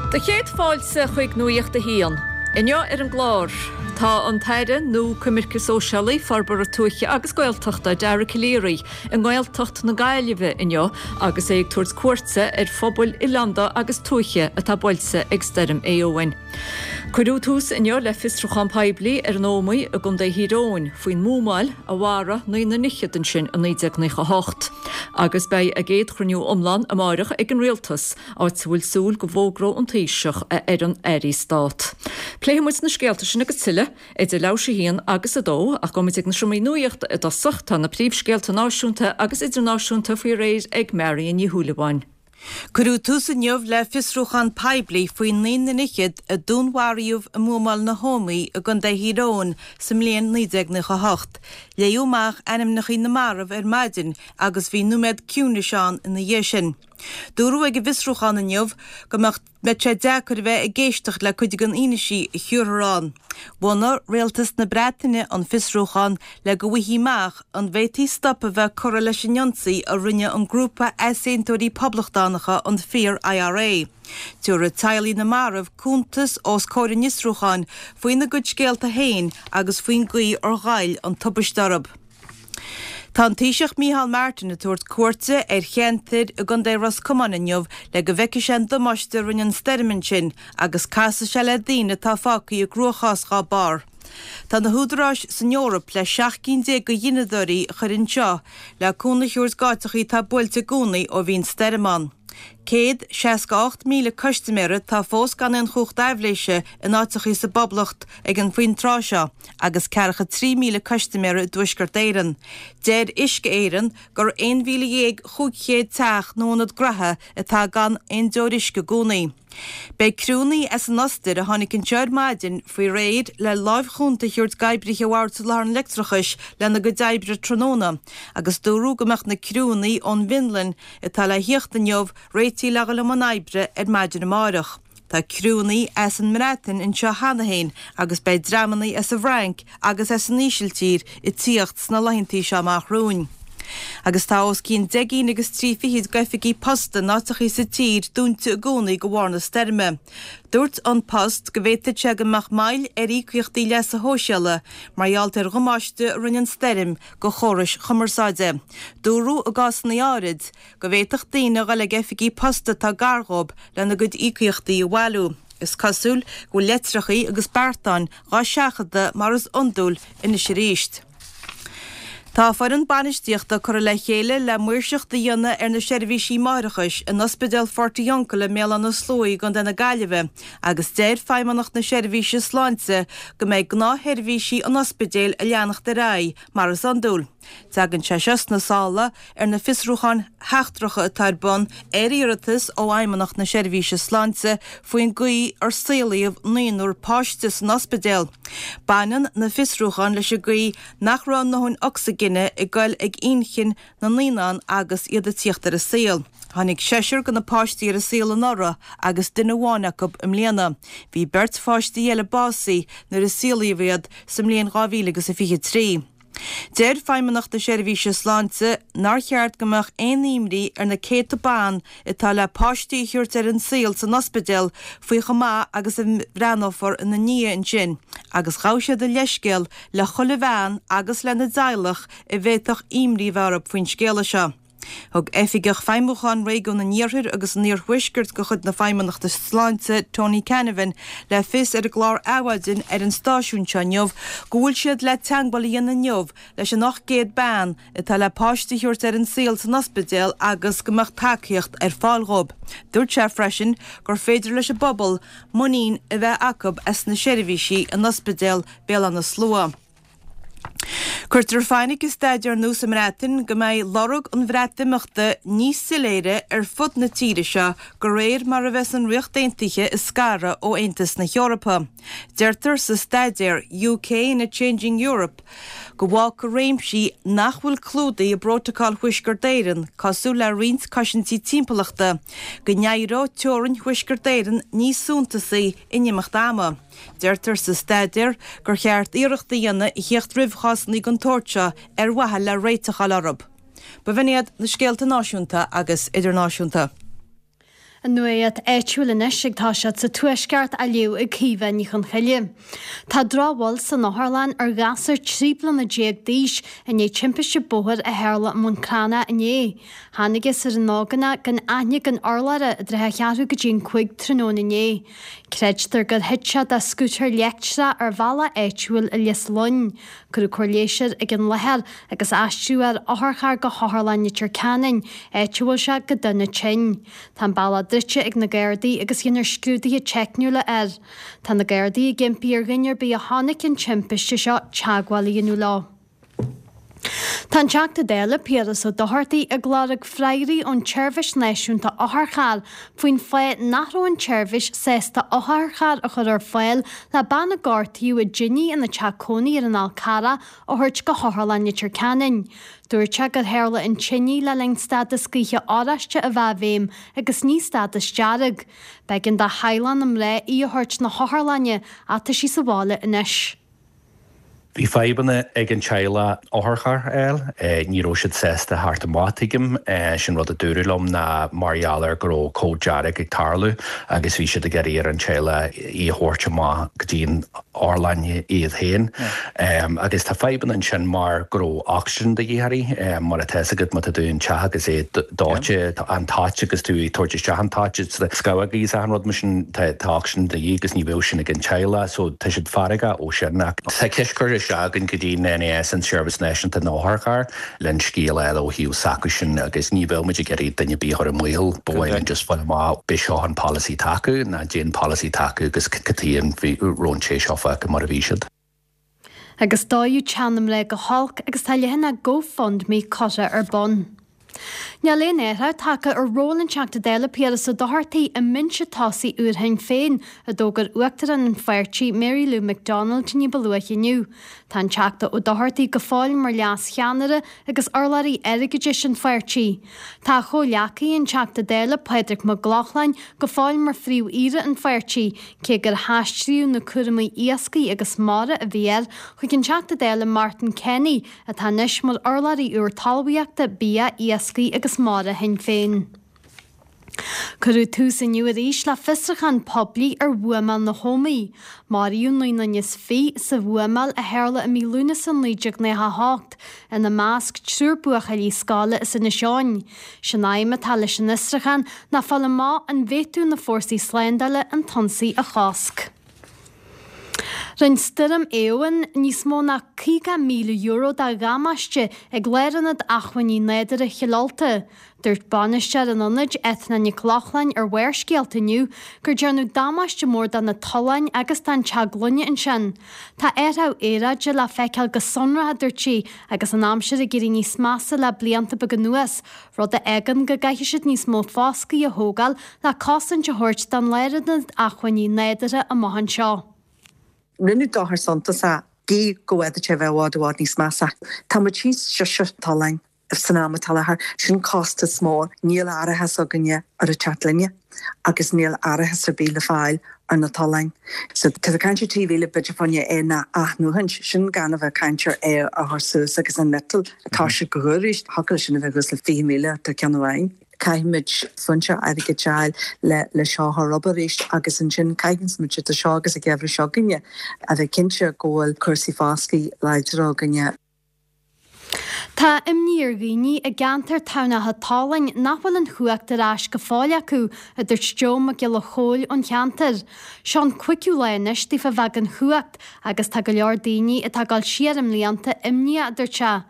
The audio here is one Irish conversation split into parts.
Do chéad fáilte chuig Nuacht a hAon. Inniu ar an gclár, tá an tAire nua Coimirce Sóisialaí, Forbartha Tuaithe agus Gaeltachta, Dara Calleary, i nGaeltacht na Gaillimhe inniu agus é ag tabhairt cuairte ar phobail oileánda agus tuaithe atá buailte ag Stoirm Éowyn. Cuireadh tús inniu le fiosrúchán poiblí ar an Ómaigh i gContae Thír Eoghain faoin mbuamáil a mharaigh naonúr fhichead ansin i 1998. Agus beidh a gcéad chruinniú iomlán amáireach ag an Rialtas, áit a bhfuil súil go bhfógróidh an Taoiseach a fhoireann Airí Stát. Pléifidh muid na scéalta sin agus tuilleadh idir leathuair tar éis a haon agus a dó, ach gabhfaidh muid ag na seomraí nuachta i dtosach. Tá na príomhscéalta náisiúnta agus idirnáisiúnta faoi réir ag Marion Ní Shúilleabháin. Cuireadh tús inniu le fiosrúchán poiblí faoi naonúr fhichead a dúnmharaíodh i mbuamáil na hÓmaí i gContae Thír Eoghain sa mbliain 1998. Léadh amach ainmneacha na marbh ar maidin agus bhí nóiméad ciúnais ann ina dhiaidh sin. Dúradh ag an bhfiosrúchán inniu go mbeadh mbeadh sé deacair a bheith ag éisteacht le cuid den fhianaise a thabharfar ann. Bhunaigh Rialtas na Breataine an fiosrúchán le go bhfaighfí amach an bhféadfaí stop a bheith curtha leis an ionsaí a rinne an grúpa easaontóirí poblachtánacha an Fíor-IRA. Tabharfaidh teaghlaigh na marbh cuntas os comhair an fhiosrúcháin faoina gcuid scéalta féin agus faoin gcaoi ar ghoill an tubaiste orthu. Tá an Taoiseach Micheál Martin ag tabhairt cuairte ar cheantair i gContae Ros Comáin inniu le go bhfeicfidh sé an damáiste a rinne an stoirm ansin agus casfaidh sé le daoine atá fágtha i gcruachás dhá barr. Tá na húdaráis san Eoraip le 17 gcinn de ghineadóirí a chur anseo le cúnamh a thabhairt d'áiteachaí atá buailte i gcónaí ó bhí an stoirm ann. 168,000 custaiméara atá fós gan aon chumhacht aibhléise in áiteachaí sa bPoblacht ag an faoin tráth seo agus ceathracha 3,000 custaiméara i dTuaisceart Éireann. Deir Uisce Éireann gur 11,500 teach nó ionad graithe atá gan aon deoir uisce i gcónaí. Beidh criúnnaí as an Ostair a tháinig anseo ar maidin faoi réir le láimh chúnta a thabhairt d'oibrithe Bhord Soláthair an Leictreachais lena gcuid oibre tráthnóna agus dúradh go mbeadh na criúnnaí ón bhFionlainn atá le thíocht inniu réitithe le dhul i mbun oibre ar maidin amáireach. Tá criúnnaí as an mBreatain anseo cheana féin agus beidh dreamannaí as an bhFrainc agus as an Ísiltír ag tíocht sna laethantaí seo amach romhainn. Agus tá os cionn deich gcinn agus trí fichid d'oifigí posta in áiteachaí sa tír dúnta i gcónaí de bharr na stoirme. Dúirt An Post go bhféadfadh sé go mbeadh moill ar íocaíochtaí leasa shóisialaigh mar gheall ar dhamáiste a rinne an stoirm do chórais chumarsáide. Dúradh i gcásanna áirid go bhféadfadh daoine a dhul ag oifigí post atá gar dhóibh lena gcuid íocaíochtaí a bhailiú. Is cosúil go bhfuil leitreachaí agus beartáin dhá seachadadh mar is iondúil anois arís. Tá foireann bainistíochta curtha le chéile le maoirseacht a dhéanamh ar na seirbhísí máithreachais in Ospidéal Phort Fhionnghaile i mBéal Átha na Sluaighe i gContae na Gaillimhe agus deir Feidhmeannacht na Seirbhíse Sláinte go mbeidh gnáthsheirbhísí an ospidéil ag leanacht ar aghaidh mar is iondúil. Tagann sé seo sna sála ar na fiosrúcháin sheachtracha atá ar bun ar iarratas ó Fheidhmeannacht na Seirbhíse Sláinte faoin gcaoi ar saolaíodh naonúr páiste san ospidéal. Baineann na fiosrúcháin leis an gcaoi nach raibh a ndóthain ocsaigine ag goil ag inchinn na naíonán agus iad ag tíocht ar an saol. Tháinig seisear de na páistí ar an saol anuraidh agus duine amháin acu i mbliana. Bhí beirt pháistí eile básaithe nuair a saolaíodh iad sa mbliain 2023. Deir Feidhmeannacht na Seirbhíse Sláinte nár cheart go mbeadh aon imní ar na céadta ban atá le páistí a thabhairt ar an saol san ospidéal faoi chomh maith agus a bhreathnófar ina ndiaidh ansin agus ghabh siad a leithscéal le chuile bhean agus lena dteaghlach a bhféadfadh imní a bheith orthu faoin scéala seo. Thug Oifigeach Feidhmiúcháin Réigiún an Iarthair agus an Iarthuaiscirt de chuid na Feidhmeannachta Sláinte, Tony Canavan, le fios ar an gclár Adhmhaidin ar an stáisiún seo inniu go bhfuil siad le teagmháil a dhéanamh inniu leis an 800 bean atá le páiste a thabhairt ar an saol san ospidéal agus go mbeadh tacaíocht ar fáil dhóibh. Dúirt sé freisin gur féidir leis an bpobal muinín a bheith acu as na seirbhísí in Ospidéal Béal Átha na Slua. Cuirtear fainic i staidéar nua sa mBreatain go mbeidh lorg an Bhreatimeachta níos soiléire ar fud na tíre seo de réir mar a bheas an Ríocht Aontaithe ag scaradh ó Aontas na hEorpa. Deirtear sa staidéar UK in a Changing Europe go bhfágfaidh réimsí nach bhfuil clúdaithe i bPrótacal Thuaisceart Éireann, cosúil le roinnt cosaintí timpeallachta, go n-éireoidh teorainn Thuaisceart Éireann níos suntasaí in imeacht ama. Deirtear sa staidéar gur cheart iarracht a dhéanamh a thíocht roimh chásanna den tsórt seo ar mhaithe le réiteach a fháil orthu. B'in iad na scéalta náisiúnta agus idirnáisiúnta. An nuacht áitiúil anois ag toiseacht sa Tuaisceart á léamh ag Caoimhe Ní Chonchoille. Tá drochbhail san otharlann ar ghasúr 13 bliana d'aois i ndiaidh timpiste bóthair a tharla i mBun Cranncha inné. Thángthas ar an ógánach gan aithne gan urlabhra i dtrátha a cheathrú go dtí an 5 tráthnóna inné. Creidtear gur thit sé de scútar leictreach ar bhealach áitiúil i Lios Fhloinn. Cuireadh cóir leighis air ag an láthair agus aistríodh ar otharcharr go hOtharlann Leitir Ceanainn, áit a bhfuil sé go dona tinn. Tá an bealach druidte ag na Gardaí agus déanfar scrúduithe teicniúla air. Tá na Gardaí ag impí ar dhuine ar bith a chonaic an timpiste seo teagmháil a dhéanamh leo. Tá an Teachta Dála Piaras Ó Dochartaigh ag lorg freagraí ón tSeirbhís Náisiúnta Otharcharr faoin fáth nach raibh an tseirbhís sásta otharcharr a chur ar fáil le bean a gortaíodh i dtine ina teach cónaí ar an Fhál Carrach a thabhairt go hOtharlann Leitir Ceanainn. Dúirt sé gur tharla an tine le linn stádas gaoithe oráiste a bheith i bhfeidhm agus ní stádas dearg. B'éigean do theaghlach na mná í a thabhairt na hotharlainne ach tá sí sa bhaile anois. Bhí fadhbanna ag an teaghlach otharcharr a fháil. Ní raibh siad sásta theacht amach, tuigim. Sin rud a dúradh liom ná mar gheall ar go raibh cód dearg ag tarlú agus bhí siad ag iarraidh ar an teaghlach í a thabhairt amach go dtí an otharlann iad féin. Agus tá fadhbanna ansin mar go raibh ocsaigin de dhíth uirthi. Mar atá fhios agat má tá tú in teach agus é dóite, an toit agus tú ag tabhairt isteach an toit, scamhógaí is achan rud mar sin, tá ocsaigin de dhíth agus ní bheadh sin ag an teaghlach so tá siad feargach ó sin. Ach tá ceist curtha isteach againn go dtí an NAS, an Seirbhís Náisiúnta na nOtharcharr, le an scéal a fháil ó thaobh s'acusan agus ní bheadh muid ag iarraidh duine ar bith a chur i mbaol, ba mhaith linn just fáil amach b'é seo an polasaí atá acu nó caidé an polasaí atá acu agus cad chuige a raibh an té seo fágtha mar a bhí siad. Agus dódh teach na mná go holc agus tá leathanach GoFundMe curtha ar bun. Níl aon athrú tagtha ar ról an Teachta Dála Piaras Ó Dochartaigh i mbinse tosaigh úr Shinn Féin, a d'fhógair Uachtarán an pháirtí Mary Lou McDonald ní ba luaithe inniu. Tá an Teachta Ó Dochartaigh go fóill mar leas-cheannaire agus urlabhraí airgeadais an pháirtí. Tá a chomhghleacaí, an Teachta Dála Pádraig Mac Lochlainn, go fóill mar phríomh-aoire an pháirtí, cé gur haistríodh na cúramaí iascaigh agus mara a bhí air chuig an Teachta Dála Martin Kenny, atá anois mar urlabhraí úr talmhaíochta, bia, iascaigh agus mara Shinn Féin. Cuireadh tús inniu arís le fiosrúchán poiblí ar bhuamáil na hÓmaí. Maraíodh 29 nduine sa bhuamáil a tharla i mí Lúnasa 1998, ina measc triúr buachaillí scoile as Inis Eoghain. Sé'n aidhm atá leis an fhiosrúchán ná fáil amach an bhféadfadh na fórsaí slándála an t-ionsaí a chosc. Rinne Stoirm Éowyn níos mó ná €50,000 de dhamáiste ag Lárionad Acmhainní Nádúrtha Chill Ulta. Dúirt bainisteoir an ionaid, Eithne Nic Lochlainn ar Bharrscéalta inniu gur déanadh damáiste mór do na tolláin agus don teach gloine ansin. Tá athrú aeráide le feiceáil go sonrach, a dúirt sí, agus an aimsir ag éirí níos measa le blianta beaga anuas, rud a fhágann go gcaithfidh siad níos mó foscaidh a thógáil le cosaint a thabhairt don lárionad acmhainní nádúrtha amach anseo. Rinneadh dochar suntasach, gidh go bhféadfadh sé a bheith i bhfad i bhfad níos measa. Tá muid thíos sise tolláin san am atá i láthair. Sin costas mór. Níl árachas againne ar an teach gloine agus níl árachas ar bith le fáil ar na tolláin. So tá tú ag caint ar 3,000 b'fhéidir fá choinne é a athnuachaint, sin gan a bheith ag caint ar é a chur suas agus an miotal atá sé go arís, thiocfadh leis sin a bheith thuas le 20,000 do ceann amháin. Caithfimid foinse airgid a fháil le le seo a chur up arís agus ansin caithfidh muid do seo agus an geimhreadh seo againne a bheith cinnte go bhfuil cúrsaí foscaidh láidir againne. Tá imní ar dhaoine i gceantar Tamhnach an tSalainn nach bhfuil an chumhacht ar ais go fóill acu, a dúirt Joe Mac Giolla Chóill ón cheantar. Seo an cúigiú lá anois daofa bheith gan chumhacht agus tá go leor daoine atá ag dul siar i mblianta imníoch, a dúirt sé.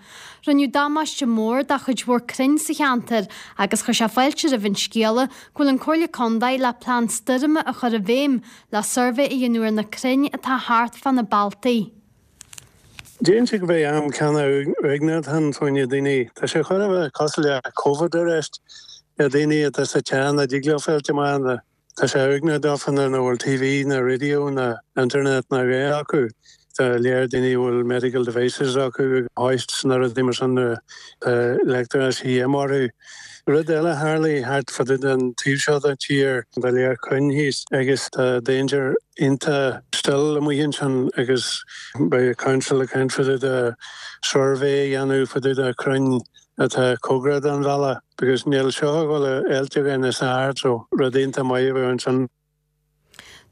Rinneadh damáiste mór do chuid mhór crainn sa cheantar agus chuir sé fáilte roimh an scéala go bhfuil an Comhairle Contae le plean stoirme a chur i bhfeidhm le suirbhé a dhéanamh ar na crainn atá thart fá na bealtaí. Déarfainnse go mbeidh am ceanna uaigneach ann fá choinne daoine. Tá sé chóir a bheith cosúil le Covid arís. Na daoine atá sa teach nach dtig leo fáilt amach, tá sé uaigneach dófa nuair nach bhfuil TV ná radio ná internet ná a dhath acu. Tá lear daoine a bhfuil medical devices acu, hoists ná rudaí mar sin, tá leictreachas a dhíth orthu. Rud eile a tharlaigh thart fá dtaobh den taobh seo den tír, tá lear crainn thíos agus tá danger iontach still amuigh ansin agus beidh council ag caint fá dtaobh de suirbhé a dhéanamh fá dtaobh de crainn. atá cóngarach don bhealach because níl seo ag dul a fháilt againn is ard so rud iontach maith a bheadh ansin.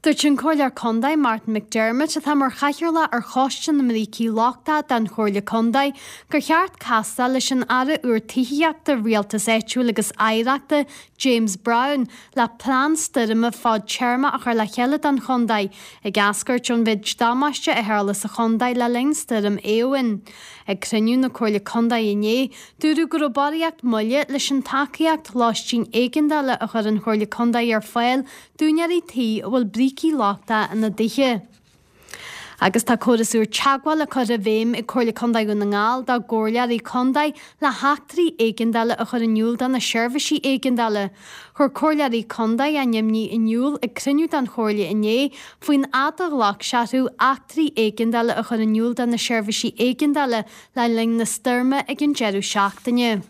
Dúirt an Comhairleoir Contae Martin McDermott, atá mar chathaoirleach ar Choiste na mBrící Lochtacha den Chomhairle Contae, gur cheart castáil leis an Aire úr Tithíochta, Rialtais Áitiúil agus Oidhreachta, James Browne, le plean stoirme fadtéarmach a chur le chéile don chontae, ag eascairt ón mhéid damáiste a tharla sa chontae le linn Stoirm Éowyn. Ag cruinniú na Comhairle Contae inné, dúradh go raibh barraíocht moille leis an tacaíocht lóistín éigeandála a chuir an Chomhairle Contae ar fáil d'úinéirí tí a bhfuil brící lochtacha ina dtithe. Agus tá córas úr teagmhála curtha i bhfeidhm ag Comhairle Contae Dhún na nGall dá gcomhairleoirí contae le heachtraí éigeandála a chur in iúl do na seirbhísí éigeandála. Chuir comhairleoirí contae a n-imní in iúl ag cruinniú den chomhairle inné faoin fhad a ghlac sé orthu eachtraí éigeandála a chur in iúl do na seirbhísí éigeandála le linn na stoirme ag an deireadh seachtaine.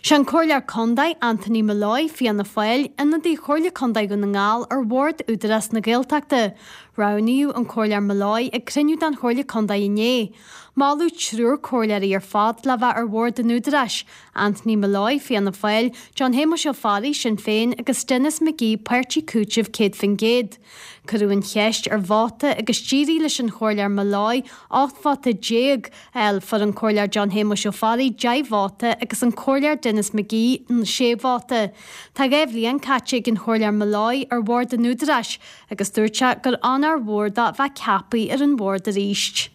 Sé an Comhairleoir Contae, Anthony Molloy, Fianna Fáil, ionadaí Chomhairle Contae Dhún na nGall ar Bhord Údarás na Gaeltachta. Roghnaíodh an Comhairleoir Molloy ag cruinniú den Chomhairle Contae inné. Moladh triúr comhairleoirí ar fad le bheith ar Bhord an Údaráis, Anthony Molloy, Fianna Fáil, John Shéamuis Ó Fearraigh, Sinn Féin, agus Denis McGee, Páirtí Cúitimh 100%. Cuireadh an cheist ar vóta agus d'éirigh leis an Chomhairleoir Molloy 18 vóta a fháil. Fuair an Comhairleoir John Shéamuis Ó Fearraigh 10 vóta agus an Comhairleoir Denis McGee 6 vóta. Tá 2 bhliain caite ag an Chomhairleoir Molloy ar bhord an Údaráis agus dúirt sé gur onóir mhór dó bheith ceaptha ar an bhord arís.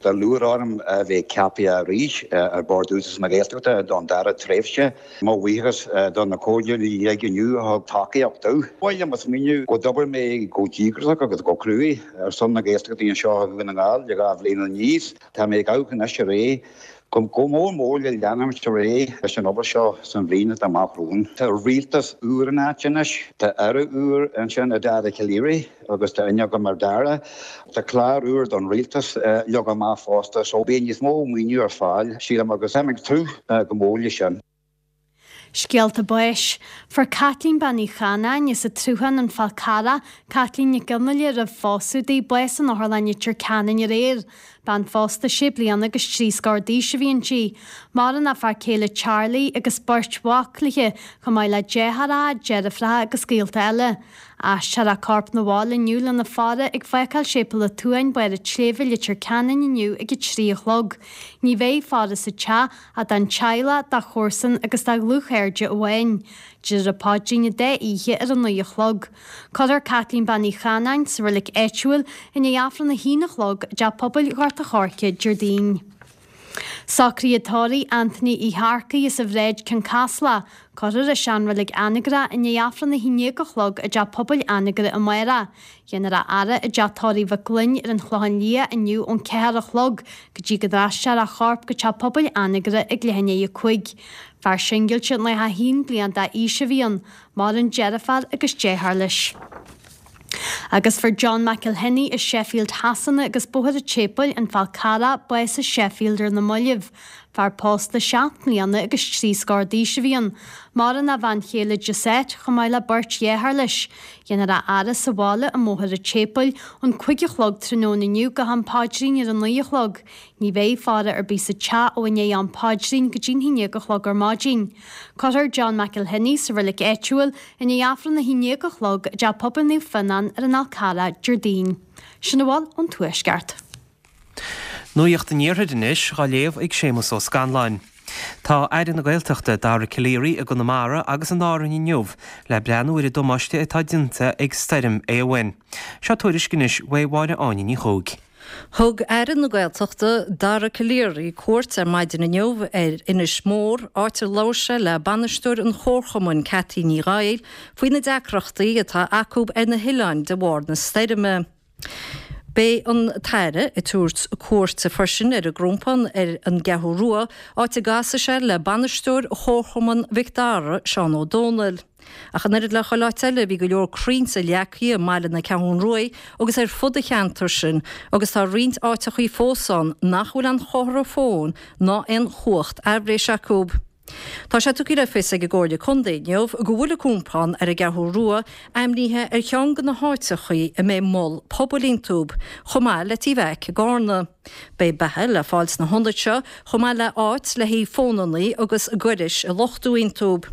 Tá lúcháir orm a bheith ceaptha arís ar Bhord Údarás na Gaeltachta don dara tréimhse. Mo bhuíochas do na comhairleoirí uilig inniu a thug tacaíocht domh. Ba mhaith liom a smaoineamh go d'obair mé go díograiseach agus go cruaidh ar son na Gaeltachta anseo i Dhún na nGall le 2 bhliain anuas. Tá mé ag amharc anois ar aghaidh go mór mór le leanúint ar aghaidh leis an obair seo san bhliain atá amach romhainn. Tá rialtas úr in áit anois, tá Aire úr ansin, Dara Calleary, agus tá aithne agam ar Dara. Tá clár úr don rialtas leagtha amach fosta so beidh níos mó maoiniú ar fáil, sílim, agus táim ag tnúth go mór leis sin. Scéalta báis. Fuair Caitlín Bean Uí Chanáin as an tSruthán, An Fál Carrach, Caitlín Nic Fhionnghaile roimh phósadh di, bás in Otharlann Leitir Ceanainn aréir. Bean phósta sé bliana agus trí scór d'aois a bhí inti. Maireann a fear céile Charlie agus beirt mhac léi, chomh maith le deartháireacha, deirfiúracha agus gaolta eile. Aistreofar a corp 'na bhaile inniu lena faire ag fágáil Séipéal an tSuain, Barr an tSléibhe, Leitir Ceanainn inniu ag a 3 a chlog. Ní bheidh faire sa teach ach don teaghlach, dá chomharsain agus dá dhlúthchairde amháin. Déarfar an paidrín an dá oíche ar a 9 a chlog. Cuirfear Caitlín Bean Uí Chanáin sa reilig áitiúil i ndiaidh Aifreann a haon a chlog i dTeach Pobail Ghort a' Choirce Déardaoin. Socruithe tórraimh Anthony Uí hEarcaigh as an Bhráid Cionn Caslach. Cuirfear i seanreilig Anagaire i ndiaidh Aifreann a haon déag a chlog i dTeach Pobail Anagaire amárach. Déanfar a fhaire i dTeach Tórraimh Mhic Gloinn ar an Chlochán Liath inniu ón 4 a chlog go dtí go n-aistreofar a chorp go Teach Pobail Anagaire ag leath i ndiaidh a 5. Fear singilte 91 bliain d'aois a bhí ann. Maireann deirfiúr agus deartháir leis. Agus fuair John McElhinney i Sheffield Shasana agus Bóthar an tSéipéil, An Fál Carrach, bás i Sheffield ar na mallaibh. Fear pósta seacht mbliana agus trí scór d'aois a bhí ann. Maireann a bhean chéile Josette chomh maith le beirt dhearthár leis. Déanfar a fhaire sa bhaile i mBóthar an tSéipéil ón 5 a chlog tráthnóna inniu go ham paidrín ar a 9 a chlog. Ní bheidh faire ar bith sa teach ó i ndiaidh am paidrín go dtí'n haon déag a chlog ar maidin. Cuirfear John McElhinney sa reilig áitiúil i ndiaidh Aifreann a haon déag a chlog i dTeach Pobail Naomh Fionnán ar an Fhál Carrach Déardaoin. Sin a bhfuil ón Tuaisceart. Nuacht an Iarthair anois, dhá léamh ag Séamus Ó Scanláin. Tá Aire na Gaeltachta, Dara Calleary, i gConamara agus in Árainn inniu le breathnú ar an damáiste atá déanta ag Stoirm Éowyn. Seo tuairisc anois uaidh Mháire Áine Ní Chuaig. Thug Aire na Gaeltachta, Dara Calleary, cuairt ar maidin inniu ar Inis Mór, áit ar labhair sé le bainisteoir an Chomharchumainn, Cathy Ní Dhaill, faoi na deacrachtaí atá acu ar na hoileáin de bharr na stoirme. Beidh an tAire ag tabhairt cuairte freisin ar an gCrompán ar an gCeathrú Rua, áit a gcasfaidh sé le bainisteoir Chomharchumann Mhic Dara, Seán Ó Dónaill. Ach an oiread le chuile áit eile, bhí go leor crainnte leagtha i mbaile na Ceathrún Ruaidh agus ar fud an cheantair sin agus tá roinnt áiteachaí fós ann nach bhfuil aon chomhartha fóin ná aon chumhacht aibhléise acu. Tá sé tugtha le fios ag an gComhairle Contae inniu go bhfuil an Compán ar an gCeathrú Rua ainmnithe ar cheann de na háiteachaí a mbeidh mol pobail iontu, chomh maith le Tí Mheaic i gCarna. Beidh beatha le fáil sna hionaid seo chomh maith le áit le haghaidh fónannaí agus gairis a luchtú iontu.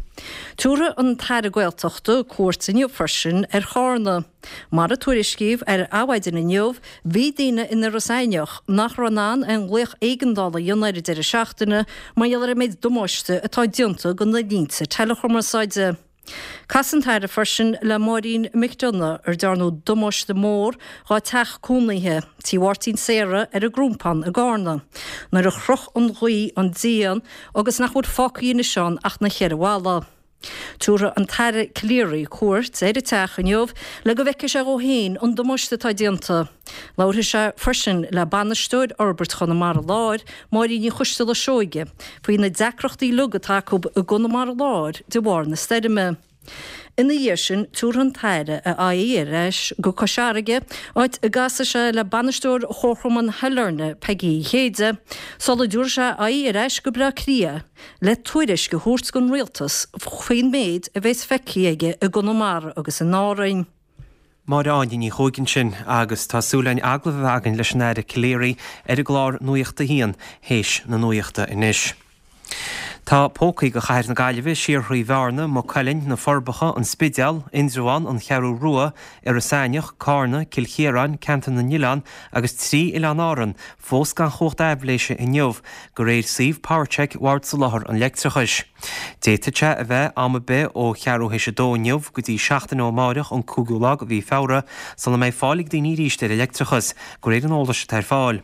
Tabharfaidh an tAire Gaeltachta cuairt inniu freisin ar Chárna. Mar a tuairiscíodh ar Adhmhaidin inniu, bhí daoine in Iorras Aithneach nach raibh in ann aon ghlaoch éigeandála a dhéanamh ar an deireadh seachtaine mar gheall ar an méid damáiste atá déanta do na línte teileachumarsáide. Casfaidh an tAire freisin le Máirín McDonagh ar dearnadh damáiste mór dhá teach cónaithe, Tí Mháirtín Sarah ar an gCrompán i gCárna, nuair a chroch an ghaoth an díon agus nach bhfuil fágtha anois ann ach na cheithre bhalla. Tabharfaidh an tAire Calleary cuairt ar an teach inniu le go bhfeicfidh sé dhó féin an damáiste atá déanta. Labharfaidh sé freisin le Bainisteoir Fhorbairt Chonamara Láir, Máirín Ní Choisteala Seoige, faoi na deacrachtaí uilig atá acu i gConamara Láir de bharr na stoirme. Ina dhiaidh sin, tabharfaidh an tAire a aghaidh ar ais go Cois Fharraige, áit a gcasfaidh sé le Bainisteoir Chomharchumann Shailearna, Peigí Uí Chéide, sula dtabharfaidh sé a aghaidh ar ais go Bleá Cliath le tuairisc a thabhairt don Rialtas faoin méid a bheas feicthe aige i gConamara agus in Árainn. Máire Áine Ní Chuaig ansin agus tá súil againn agallamh a bheith againn leis an Aire Calleary ar an gclár Nuacht a hAon théis na nuachta anois. Tá pócaí do Chathair na Gaillimhe siar thrí Bhearna, Maigh Cuilinn, Na Forbacha, An Spidéal, Indreabhán, An Cheathrú Rua, Iorras Aithneach, Cárna, Cill Chiaráin, Ceantar na nOileán agus trí Oileáin Árann fós gan chumhacht aibhléise inniu, de réir suíomh PowerCheck Bhord Soláthair an Leictreachais. D'fhéadfadh sé a bheith am ar bith ó cheathrú théis a dó inniu go dtí seachtain ó amáireach an cúigiú lá de mhí Feabhra sula mbeidh fáil ag daoine arís ar an leictreachas, de réir an eolais atá ar fáil.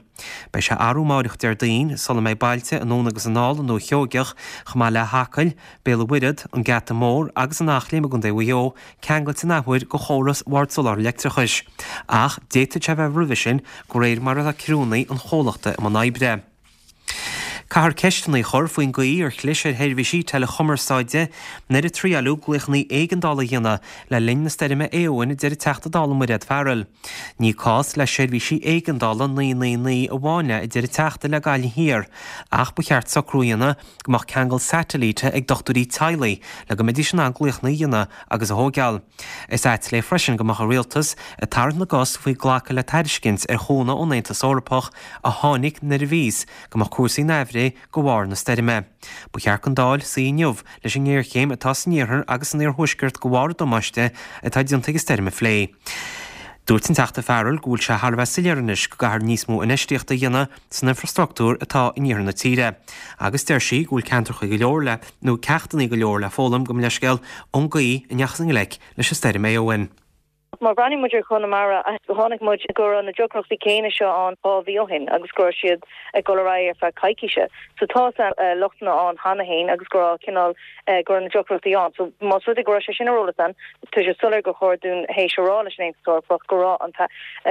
Beidh sé arú amáireach Déardaoin sula mbeidh bailte anonn agus anall i nDúiche Sheoigeach, chomh maith le hAcaill, Béal an Mhuirthead, an Geata Mór agus an Eachléim i gContae Mhaigh Eo, ceangailte an athuair de chóras Bhord Soláthair Leictreachais. Ach d'fhéadfadh sé a bheith roimhe sin, de réir mar atá criúnna an chomhlachta i mbun oibre. Caithfear ceisteanna a chur faoin gcaoi ar chlis ar sheirbhísí teileachumarsáide nuair a triaileadh glaochanna éigeandála a dhéanamh le linn na stoirme Éowyn, a deir an Teachta Dála Mairéad Farrell. Ní cás le seirbhísí éigeandála 999 amháin é, a deir an Teachta le Gaillimh Thiar, ach ba cheart socrú a dhéanamh go mbeadh ceangal satailíte ag dochtúirí teaghlaigh le go mbeidís in ann glaochanna a dhéanamh agus a thóigeáil. Is ait léi freisin go mbeadh an Rialtas ag tarraingt na gcos faoi glacadh le tairiscint ar chúnamh ón Aontas Eorpach a tháinig nuair a bhí a fhios go mbeadh cúrsaí neamhréidh de bharr na stoirme. Ba cheart don Dáil suí inniu leis an ngéarchéim atá san iarthar agus san iarthuaisceart de bharr an damáiste atá déanta ag an stoirm a phlé. Dúirt an Teachta Farrell go bhfuil sé thar a bheith soiléir anois go gcaithfear níos mó infheistíochta a dhéanamh san infreastruchtúr atá in iarthar na tíre agus deir sí go bhfuil ceantracha go leor le nó ceachtanna go leor le foghlaim gabh mo leithscéal ón gcaoi a ndeachthas i ngleic leis an stoirm Éowyn. Má bhreathnaíonn muid ar Chonamara, chonaic muid go raibh na deacrachtaí céanna seo ann 2 mhí ó shin agus go raibh siad ag dul ar aghaidh ar feadh coicíse. So tá lochtanna ann cheana féin agus go raibh cineál, go raibh na deacrachtaí ann. So más rud é go raibh sé sin ar eolas ann, tá sé soiléir gur chóir dúinn théis a rá leis an Aontas Eorpach go raibh an,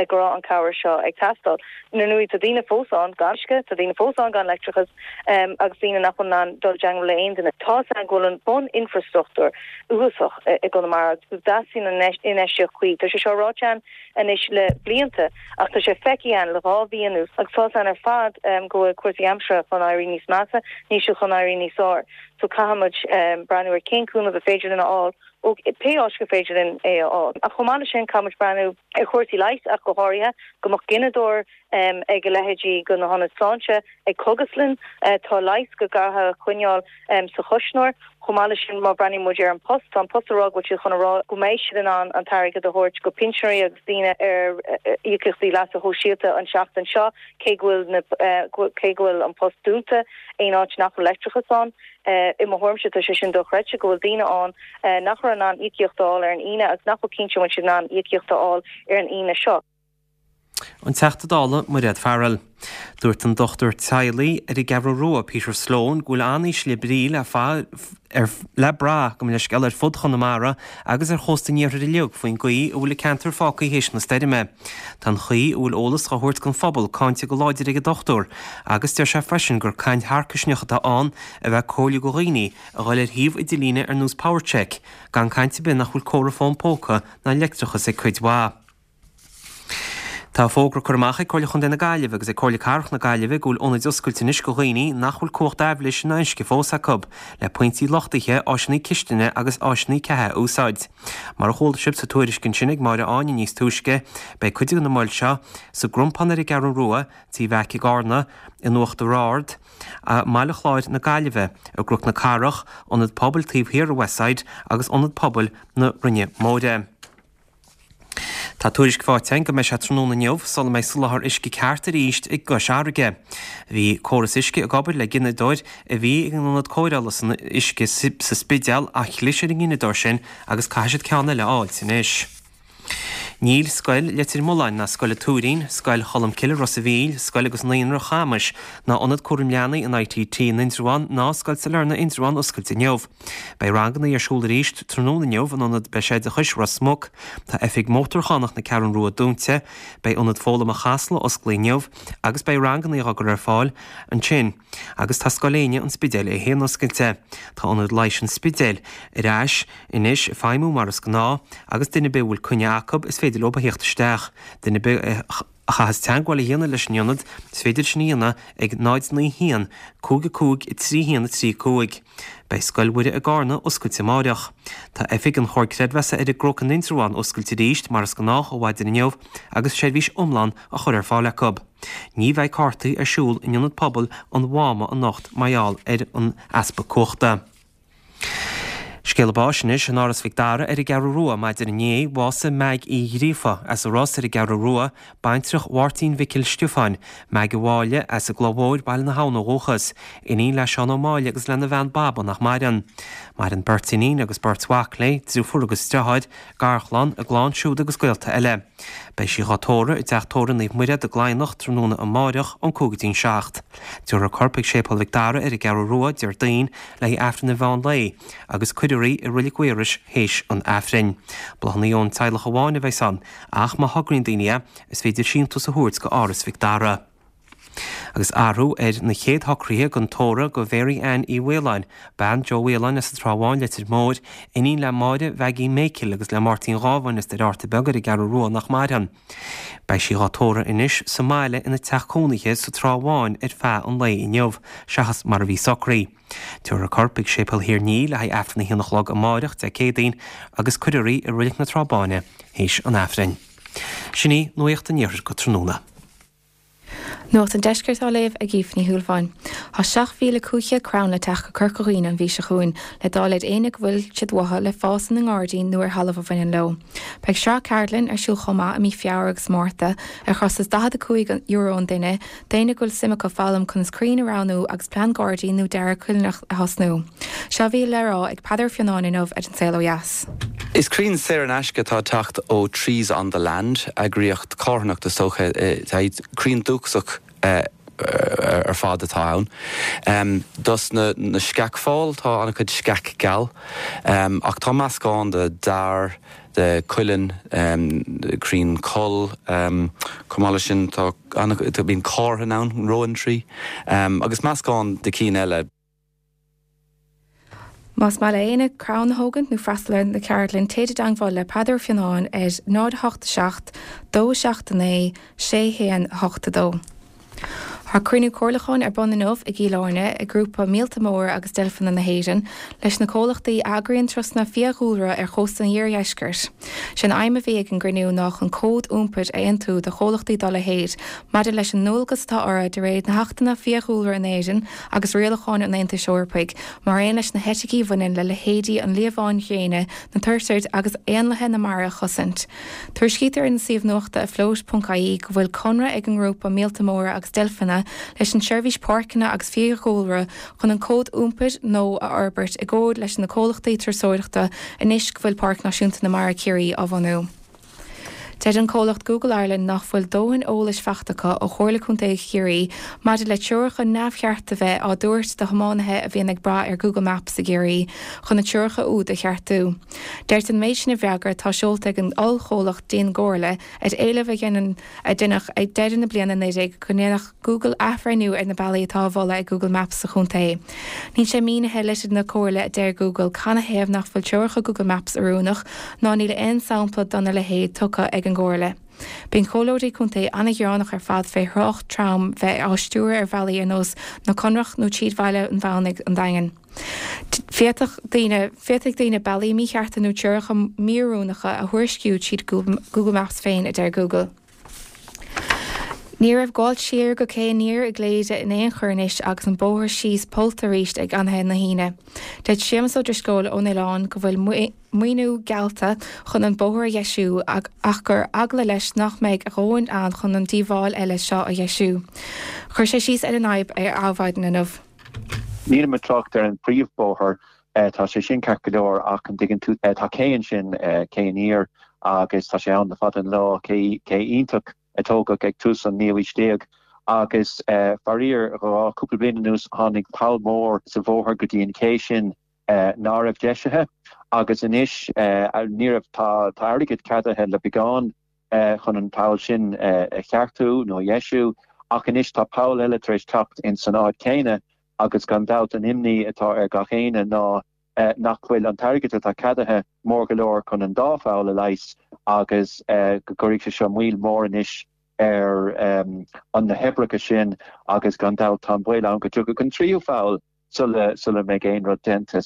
go raibh an cabhair seo ag teastáil. Ar ndóigh tá daoine fós ann gan uisce, tá daoine fós ann gan leictreachas agus daoine nach bhfuil in ann dul i dteangmháil le aon duine. Tá a fhios againn go bhfuil an bun-infreastruchtúr uafásach i gConamara agus go dteastaíonn an infheistíocht chuí. Tá sé seo ráite againn anois le blianta ach tá sé feicthe againn le 2 mhí anuas agus tá a fhios againn ar fad go bhfuil cúrsaí aimsire chun éirí níos measa, níl siad chun éirí níos fearr. So caithfidh muid breathnú ar cén cúnamh a féidir linn a fháil ó pé áit gur féidir linn é a fháil. Ach chomh maith leis sin caithfidh muid breathnú ar chúrsaí leighis ach go háirithe, go mbeadh gineadóir ag a leithéidí de na hionaid sláinte, ag cógaslann. Tá leigheas go gcaithfear a choinneáil sa chuisneoir. Chomh maith leis sin, má bhreathnaíonn muid ar An Post, tá An Post ag rá go bhfuil siad chun a rá go mbeidh siad in ann an t-airgead a thabhairt go pinsinéirí agus daoine ar íocaíochtaí leasa shóisialta an tseachtain seo, cé go bhfuil na, cé go bhfuil An Post dúnta aon áit nach bhfuil leictreachas ann. I mo thuairimse, tá sé sin dochreidte go bhfuil daoine ann nach raibh in ann íocaíocht a fháil ar an Aoine agus nach bhfuil cinnte an bhfuil siad in ann íocaíocht a fháil ar an Aoine seo. An Teachta Dála Mairéad Farrell. Dúirt an dochtúir teaghlaigh ar an gCeathrú Rua, Peter Sloane, go bhfuil an-ísle brí le ar le brath, gabh mo leithscéal, ar fud Chonamara agus ar chósta an iarthair uilig faoin gcaoi a bhfuil an ceantar fágtha théis na stoirme. Tá an chaoi a bhfuil eolas á thabhairt don phobal cáinte go láidir ag an dochtúir agus deir sé freisin gur caint tharcaisneach atá ann a bheith ag comhairliú do dhaoine a dhul ar shuíomh idirlíne ar nós PowerCheck gan caint ar bith nach bhfuil comhartha fón póca ná leictreachas ag cuid mhaith. Tá fógra curtha amach ag Comhairle Chontae na Gaillimhe agus ag Comhairle Cathrach na Gaillimhe go bhfuil ionaid oscailte anois go dhaoine nach bhfuil cumhacht aibhléise ná uisce fós acu, le pointí luchtaithe, áiseanna cistine agus áiseanna ceatha a úsáid. Mar a chuala sibh sa tuairisc ansin ag Máire Áine níos túisce, beidh cuid de na moil seo sa gCrompán ar an gCeathrú Rua, Tí Mheaic i gCarna, in Uachtar Ard, i mBaile Chláir na Gaillimhe, i gCnoc na Cathrach, Ionad Pobail taobh thiar de Westside agus Ionad Pobail na Rinne Móire. Tá tuairisc faighte againn go mbeidh sé tráthnóna inniu sula mbeidh soláthar uisce ceart arís i gCois Fharraige. Bhí córas uisce ag obair le gineadóir a bhí ag an ionad cóireála san uisce sa Spidéal ach chlis ar an ngineadóir sin agus caithfidh siad ceann eile a fháilt anois. Níl Scoil Leitir Mealláin ná Scoil an Tuairín, Scoil Cholmcille Ros a' Mhíl, Scoil agus Naíonra Chamais ná Ionad Cúraim Leanaí an ITT in Indreabhán ná Scoil Sailearna Indreabhán oscailte inniu. Beidh ranganna ar siúl arís tráthnóna inniu in Ionad Breisoideachais Ros Muc. Tá oifig Mótarchánach na Ceathrún Rua dúnta. Beidh Ionad Foghlama Chasla osclaithe inniu agus beidh ranganna á gcur ar fáil ansin. Agus tá Scoil Éinne an Spidéil é féin oscailte. Tá Ionad Leighis an Spidéil ar ais anois ag feidhmiú mar is gnáth agus duine ar bith a bhfuil coinne acu is féidir leo a theacht isteach. Duine ar bith a. a chaitheas teagmháil a dhéanamh leis an ionad, is féidir sin a dhéanamh ag 0 9 1 5 5 3 1 3 5. Beidh Scoil Mhuire i gCarna oscailte amáireach. Tá oifig an Chomhar Creidmheasa ar an gCnoc in Indreabhán oscailte arís mar is gnách ó mhaidin inniu agus seirbhís iomlán á chur ar fáil acu. Ní bheidh cártaí ar siúl in Ionad Pobail an Mháma anocht mar gheall ar an easpa cumhachta. Scéala báis anois in Áras Mhic Dara ar an gCeathrú Rua maidin inné, bhásaigh Meaig Uí Ghríofa as an Ros ar an gCeathrú Rua, baintreach Mháirtín Mhicil Stiofáin, Meaig a' Mháille, as an gCloich Mhóir, Baile na hAbhann ó dhúchas, iníon le Seán Ó Máille agus lena bhean Baba nach maireann. Maireann beirt iníon agus beirt mhac léi, driofúr agus driotháir, garchlann, a gclann siúd agus gaolta eile. Beidh sí dhá tórramh i dTeach Tórraimh Naomh Muire i gCladhnach tráthnóna amáireach ón 5 go dtí'n 7. Tabharfar a corp chuig Séipéal Mhic Dara ar an gCeathrú Rua Déardaoin le haghaidh Aifreann an mheán lae agus cuirfear í i Reilig Mhaorais théis an Aifrinn. Bláthanna ón teaghlach amháin a bheas ann ach má thograíonn daoine é, is féidir síntiús a thabhairt go Áras Mhic Dara. Agus athrú ar na chéad shocruithe don tórramh do Mhary Ann Uí Mhaoláin, bean Joe Mhaoláin as an Trá Bháin, Leitir Móir, iníon le Máire Mhaggie Mhichíl agus le Máirtín Dhábháin as Doire Fhatharta Beag ar an gCeathrú Rua nach maireann. Beidh sí dhá tórramh anois sa mbaile ina teach cónaithe sa Trá Bháin ar feadh an lae inniu, seachas mar a bhí socraithe. Tabharfar a corp chuig Séipéal Thír an Fhia le haghaidh Aifreann a haon a chlog amáireach, Dé Céadaoin, agus cuirfear í i Reilig na Trá Báine théis an Aifrinn. Sin í Nuacht an Iarthair go tráthnóna. Nuacht an Deiscirt á léamh ag Aoife Ní Shúilleabháin. Tá 7,500 crann le teacht go Corca Dhuibhne an mhí seo chugainn le dáil ar éinne go bhfuil siad uathu le fás ina ngairdín nó ar thalamh a bhaineann leo. Beidh sraith ceardlann ar siúl chomh maith i mí Feabhra agus Márta ar chostas €45 an duine d'éinne go bhfuil suim acu foghlaim conas crainn a roghnú agus plean gairdín nó dearadh coillearnach a thosnú. Seo a bhí le rá ag Peadar Ó Fionnáin inniu ar An Saol Ó Dheas. Is crainn saor in aisce atá ag teacht ó Trees on the Land, eagraíocht carthanachta is dócha. Crainn dúchasach ar fad atá ann. Dos na sceachfáil tá an-chuid sceach geal, ach tá meascán de dair, de cuileann, crainn coll, chomh maith leis sin tá bíonn cárthainn ann, rowan tree, agus meascán de cinn eile. Más maith le éinne crann a thógaint nó freastal ar na ceardlainn, téid i dteangmháil le Peadar Ó Fionnáin ar 0 8 7 2 7 9 6 1 8 2. Tá cruinniú comhairliúcháin ar bun inniu i gCill Airne ag grúpa Míolta Móra agus Deilfeanna na hÉireann leis na comhlachtaí a eagraíonn turasanna fiadhúlra ar chósta an iardheiscirt. Sé an aidhm a bhí ag an gcruinniú ná chun cód iompair a aontú do chomhlachtaí dá leithéid maidir leis an ndualgas atá orthu de réir na hAchtanna Fiadhúlra in Éirinn agus rialacháin an Aontais Eorpaigh, mar aon leis na heiticí a bhaineann le leithéidí an liamháin ghréine, na turtair agus éanlaithe na mara a chosaint. Tuairiscítear ar an suíomh nuachta afloat ponc ie go bhfuil conradh ag an ngrúpa Míolta Móra agus Deilfeanna leis an tSeirbhís Páirceanna agus Fiadhúlra chun an cód iompair nua a fhorbairt i gcomhar leis na comhlachtaí turasóireachta anois go bhfuil Páirc Náisiúnta na Mara Ciarraí á bhunú. Deir an comhlacht Google Ireland nach bhfuil dóthain eolais faighte acu ó Chomhairle Contae Chiarraí maidir le treoracha neamhchearta a bheith á dtabhairt do thiománaithe a bhíonn ag brath ar Google Maps i gCiarraí chun na treoracha úd a cheartú. Deirtear an méid sin i bhfreagra atá seolta ag an ollchomhlacht dianchomhairle ar éileamh a deineadh ag deireadh na bliana 19 go ndéanfadh Google athbhreithniú ar na bealaí atá á mholadh ag Google Maps sa chontae. Níl sé mínithe i litir na Comhairle a deir Google canathaobh nach bhfuil treoracha Google Maps oiriúnach ná níl aon sampla dona leithéid tugtha ag an gComhairle. Bíonn comhairleoirí contae an-ghearánach ar fad fé thrácht trom bheith á stiúradh ar bhealaí ar nós na Conrach nó tríd Bhaile an Mheánaigh, an Daingean. Féadfaidh daoine féadfaidh daoine bealaí míchearta nó treoracha míoiriúnacha a thuairisciú tríd Google Maps féin, a deir Google. Ní raibh gabháil siar go Cé Aniar i gCléire in aon chor anois agus an bóthar síos pollta arís ag anaithe na hAoine. Deir Séamus Ó Drisceoil ón oileán go bhfuil maoiniú geallta chun an bóthar a dheisiú ach gur eagla leis nach mbeidh a dhóthain ann chun an díobháil eile seo a dheisiú. Chuir sé síos ar an fhadhb ar Adhmhaidin inniu. Nílim ag trácht ar an príomhbóthar, tá sé sin ceart go leor ach an dtuigeann tú, tá cé ansin, cé aniar agus tá sé ann le fada an lá, cé iontach a tógadh ag tús an naoú aois déag agus faraor, dhá, cúpla bliain anuas tháinig poll mór sa bhóthar go dtí an ché sin ná raibh deisithe agus anois ní raibh, tá airgead ceadaithe le beagán chun an poll sin a cheartú nó a dheisiú ach anois tá poll eile tar éis teacht ins an áit chéanna agus gan dabht an imní atá ar gach éinne ná nach bhfuil an t-airgead atá ceadaithe mór go leor chun an dá pholl a leigheas agus go gcuirfidh sé seo moill mhór anois ar na hoibreacha sin agus gan dabht tá an baol ann go dtiocfaidh an tríú pholl sula mbeidh aon rud déanta.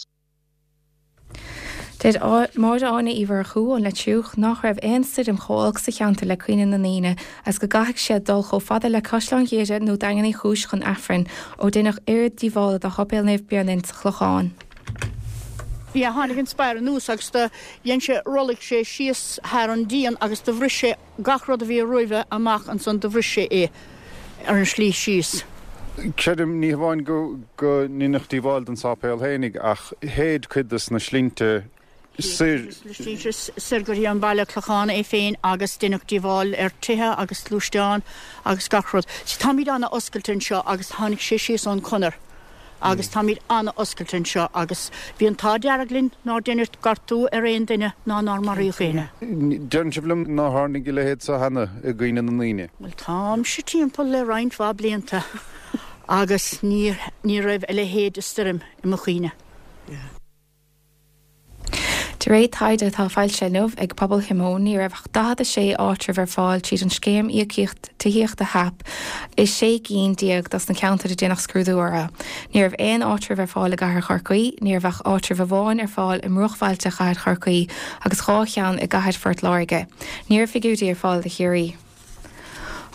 Deir Máire Áine Uí Mhurchú ón Leitriúch nach raibh aon stoirm chomh olc sa cheantar le cuimhne na ndaoine agus go gcaithfidh siad dul chomh fada le Caisleán Ghiorria nó Daingean Uí Chúis chun Aifrinn ó deineadh oiread díobhála do Sháipéal Naomh Bionainn sa Chlochán. Yeah, tháinig an spéir anuas agus do dhein sé, rolladh sé síos thar an díon agus do bhris sé gach rud a bhí roimhe amach ansan do bhris sé é ar an slí síos. Creidim, ní hamháin go go ndeineadh díobháil don sáipéal fhéinig ach shéid cuid des na slinnte soir. Shéid na slinnte soir go dtí an baile Clochán é féin agus deineadh díobháil ar tithe agus gluaisteáin agus gach rud. Táimíd ana oscailte anseo agus tháinig sé síos ón conair. agus táimid an-oscailte anseo agus bhí an t-ádh dearg linn nár deineadh gortú ar aon duine ná nár maraíodh éinne. Deireann sibh liom nár tharlaigh a leithéid seo cheana i gcuimhne na ndaoine? Bhuel, táimse timpeall le roinnt mhaith blianta agus ní ní raibh a leithéid de stoirm i mo chuimhne. De réir taighde atá foilsithe inniu ag Pobal Shíomóin, ní raibh ach 46 áitreabh ar fáil tríd an Scéim Íocaíocht Tithíochta HAP i 16 gcinn dos na ceantair a déanadh scrúdú orthu. Ní raibh aon áitreabh ar fáil i gcathair Chorcaí, ní raibh ach áitreabh amháin ar fáil i mbruachbhailte chathair Chorcaí agus 2 cheann i gcathair Phort Láirge. Ní raibh figiúirí ar fáil do Chiarraí.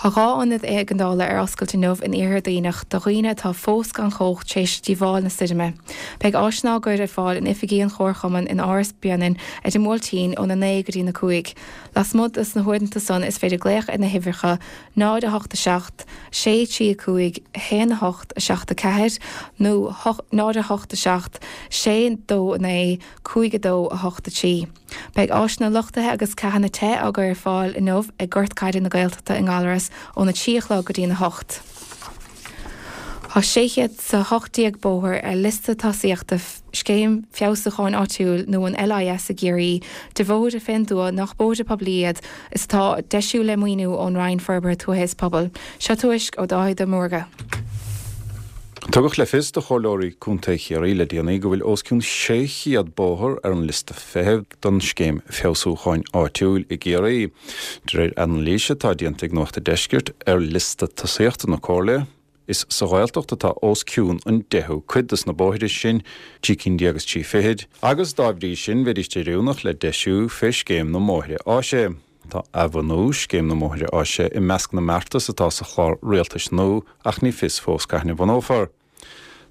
Tá 2 ionad éigeandála ar oscailt inniu in Iarthar Duibhneach do dhaoine atá fós gan chumhacht tar éis díobháil na stoirme. Beidh áiseanna á gcur ar fáil in oifigí an Chomharchumainn in Áras Bionainn ar an mBuailtín óna 9 go dtí na 5. Lasmuigh dos na huaireanta san is féidir glaoch ar na huimhreacha 0 8 7 6 3 5 1 8 7 4 nó 0 8 7 6 2 9 5 2 8 3. Beidh áiseanna luchtaithe agus ceathanna te á gcur ar fáil inniu ag Gort Caide na Gaeltachta i nGallaras óna 3 a chlog go dtí'n 8. Tá 618 bóthar ar liosta tosaíochta Scéim Feabhsúcháin Áitiúil nó an LIS i gCiarraí de bhóithre fén dtuath nach bóithre poiblí iad is atá á deisiú le maoiniú ón Roinn Forbartha Tuaithe is Pobail. Seo tuairisc ó Dáithí de Mórdha. Tugadh le fios do Chomhairleoirí Contae Chiarraí le déanaí go bhfuil os cionn 600 bóthar ar an liosta feithimh don Scéim Feabhsúcháin Áitiúil i gCiarraí. De réir anailíse atá déanta ag Nuacht an Deiscirt ar liosta tosaíochta na Comhairle, is sa Ghaeltacht atá os cionn an deichiú cuid dos na bóithre sin, trí cinn déag is trí fichid, agus dá bhrí sin bheidís oiriúnach le deisiú fé Scéim na mBóithre Áise. Tá athbhunú Scéim na mBóithre Áise i measc na mbeartas atá sa chlár rialtais nua ach ní fios fós cathain a bhunófar.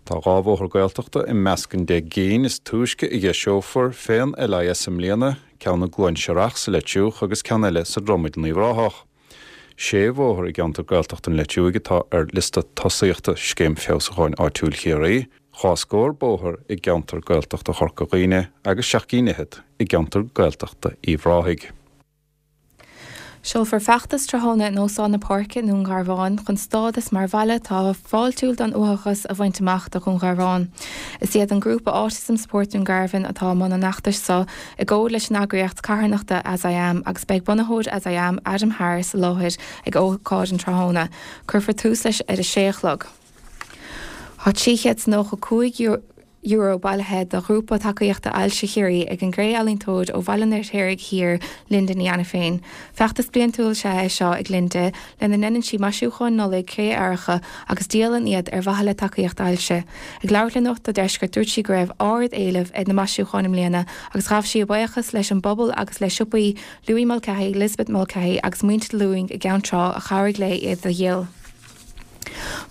Tá 2 bhóthar Gaeltachta i measc an 10 gcinn is túisce a dheiseofar fén LIS i mbliana, ceann i gCluain Searrach sa Leitriúch agus ceann eile sa Dromaid in Uíbh Ráthach. Sé bhóthar i gceantar Gaeltachta an Leitriúigh atá ar liosta tosaíochta Scéim Feabhsúcháin Áitiúil Chiarraí, dhá scór bóthar i gceantar Gaeltachta Chorca Dhuibhne agus seacht gcinn fhichead i gceantar Gaeltachta Uíbh Ráthaigh. Seolfar feachtas tráthnóna in Óstán na Páirce i nDún Garbhán chun stádas mar bhaile atá fáiltiúil don uathachas a bhaint amach do Dhún Garbhán. Is iad an grúpa Autism Support Dungarvan atá i mbun an fheachtais seo i gcomhar leis an eagraíocht carthanachta As I Am agus beidh bunaitheoir As I Am, Adam Harris i láthair ag ócáid an tráthnóna. Cuirfear tús leis ar a sé a chlog. Tá €395. €1,000 bailithe do Ghrúpa Tacaíochta Ailse Chiarraí ag an gcré-ealaíontóir ó Bhaile an Fheirtéaraigh Thiar, Linda Ní Ainiféin. Feachtas bliantúil is ea é seo ag Linda lena ndéanann sí maisiúcháin Nollag cré-earracha agus díolann iad ar mhaithe le Tacaíocht Ailse. Ag labhairt le Nuacht an Deiscirt dúirt sí go raibh ard-éileamh ar na maisiúcháin i mbliana agus ghabh sí a buíochas leis an bpobal agus le siopaí Louis Mulcahy, Lisbeth Mulcahy agus muintir Lúing i gCeann Trá a chabhraigh léi iad a dhíol.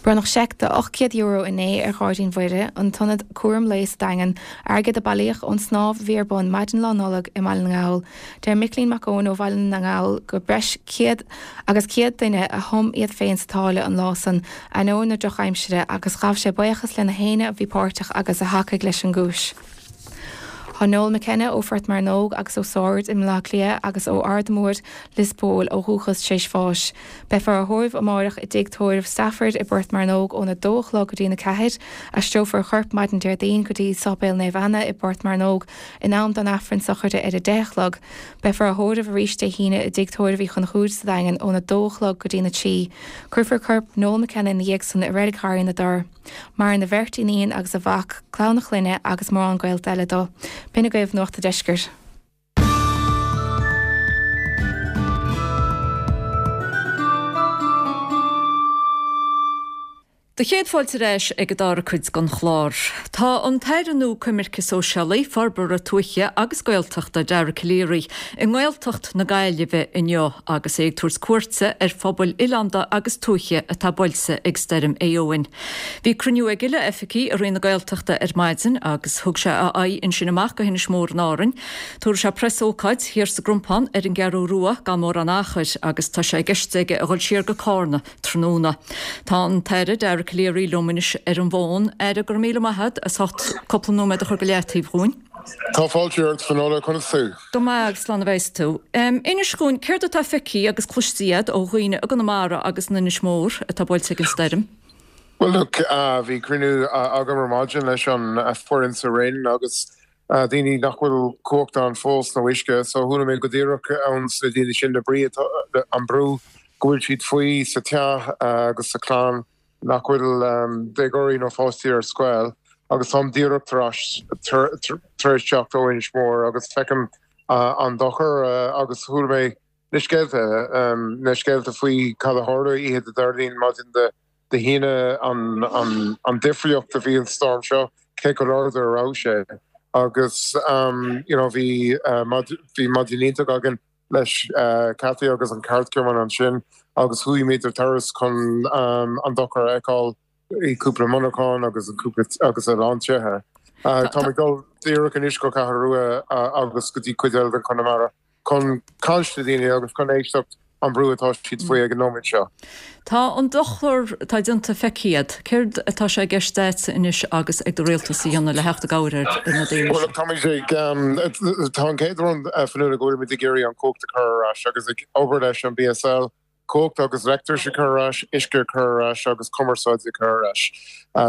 Bronnadh seic de €800 inné ar Ghairdín Mhuire, an t-ionad cúram lae sa Daingean, airgead a bailíodh ón snámh a bhí ar bun maidin Lá Nollag i mBaile na nGall. Deir Micilín Mac Eoin ó Bhaile na nGall gur breis 100 agus 100 duine a thum iad féin sa tsáile an lá san, ainneoin na drochaimsire, agus ghabh sé buíochas le na héinne a bhí páirteach agus a thacaigh leis an gcúis. Tá Noel McKenna ó Phort Mearnóg agus ó Sord i mBaile Átha Cliath agus ó Aird Mhóir, Lios Póil ó dhúchas tar éis bháis. Beifear á thórramh amáireach i dTigh Tórraimh Stafford i bPort Mearnóg óna dó a chlog go dtí'n 4. Aistreofar a chorp maidin Déardaoin go dtí Sáipéal Naomh Anna i bPort Mearnóg in am don Aifreann sochraide ar a deich a chlog. Beifear á thórramh arís Dé hAoine i dTigh Tórraimh Uí Chonchúir sa Daingean óna dó a chlog go dtí'n 3. Cuirfear corp Noel McKenna ina dhiaidh san i Reilig Gharraí na dTor. Maireann a bheirt iníon agus a mhac, clann a chlainne agus mórán gaolta eile dó. B'in agaibh Nuacht a' Deiscirt. Do chéad fáilte ar ais ag an dara cuid den chlár. Tá an tAire nua Coimirce Sóisialaí, Forbartha Tuaithe agus Gaeltachta, Dara Calleary, i nGaeltacht na Gaillimhe inniu agus é ag tabhairt cuairte ar phobail oileánda agus tuaithe atá buailte ag Stoirm Éowyn. Bhí cruinniú aige le oifigigh i Roinn na Gaeltachta ar maidin agus thug sé a aghaidh ansin amach go hInis Mór in Árainn. Tabharfaidh sé preasócáid thiar sa gCrompán ar an gCeathrú Rua gan mórán achair agus tá sé i gceist aige a dhul siar go Cárna tráthnóna. Tá an tAire Dara Calleary liom anois ar an bhfón. Aire, go raibh míle maith agat as ucht cúpla nóiméad a chur go leataobh dhúinn. Tá fáilte ort, Finola, conas tú? Go maith agus slán a bheas tú. Inis dhúinn, céard atá feicthe agus cloiste agat ó dhaoine i gConamara agus in Inis Mór atá buailte ag an stoirm? Bhuel look, bhí cruinniú agam ar maidin leis an foireann sa Roinn agus daoine nach bhfuil cumhacht ann fós nó uisce, so chuala mé go díreach ón sna daoine sin na brí atá, an brú go bhfuil siad faoi sa teach agus sa chlann. nach bhfuil déagóirí nó pháistí ar scoil agus táim díreach tar éis tar éis teacht ó Inis Mór agus feicim an dochar agus chuala mé na scéalta, na scéalta faoi cad a tharla oíche Dé Déardaoin, maidin Dé hAoine, an difríocht a bhí an storm seo, cé chomh láidir a raibh sé agus you know bhí bhí maidin iontach againn. leis Cathy agus an ceardchumann ansin agus chuaigh muid ar turas chun an dochar a fheiceáil i cúpla monarchán agus cúpla agus a lán tithe. Táim ag dul díreach anois go Ceathrú Rua agus go dtí cuid eile den Chonamara chun caint le daoine agus chun éisteacht an brú atá siad faoi ag an nóiméad seo. Tá an dochar atá déanta feicthe agat. Céard atá sé i gceist agatsa anois agus ag do rialtas a dhéanamh le theacht i gcabhair ar na daoine seo? Bhuel, táimid ag, tá an chéad rud, Fionnuala, go bhfuilimid ag iarraidh an chumhacht a chur ar ais agus ag obair leis an BSL, cumhacht agus leictreachas a chur ar ais, uisce a chur ar ais agus cumarsáid a chur ar ais.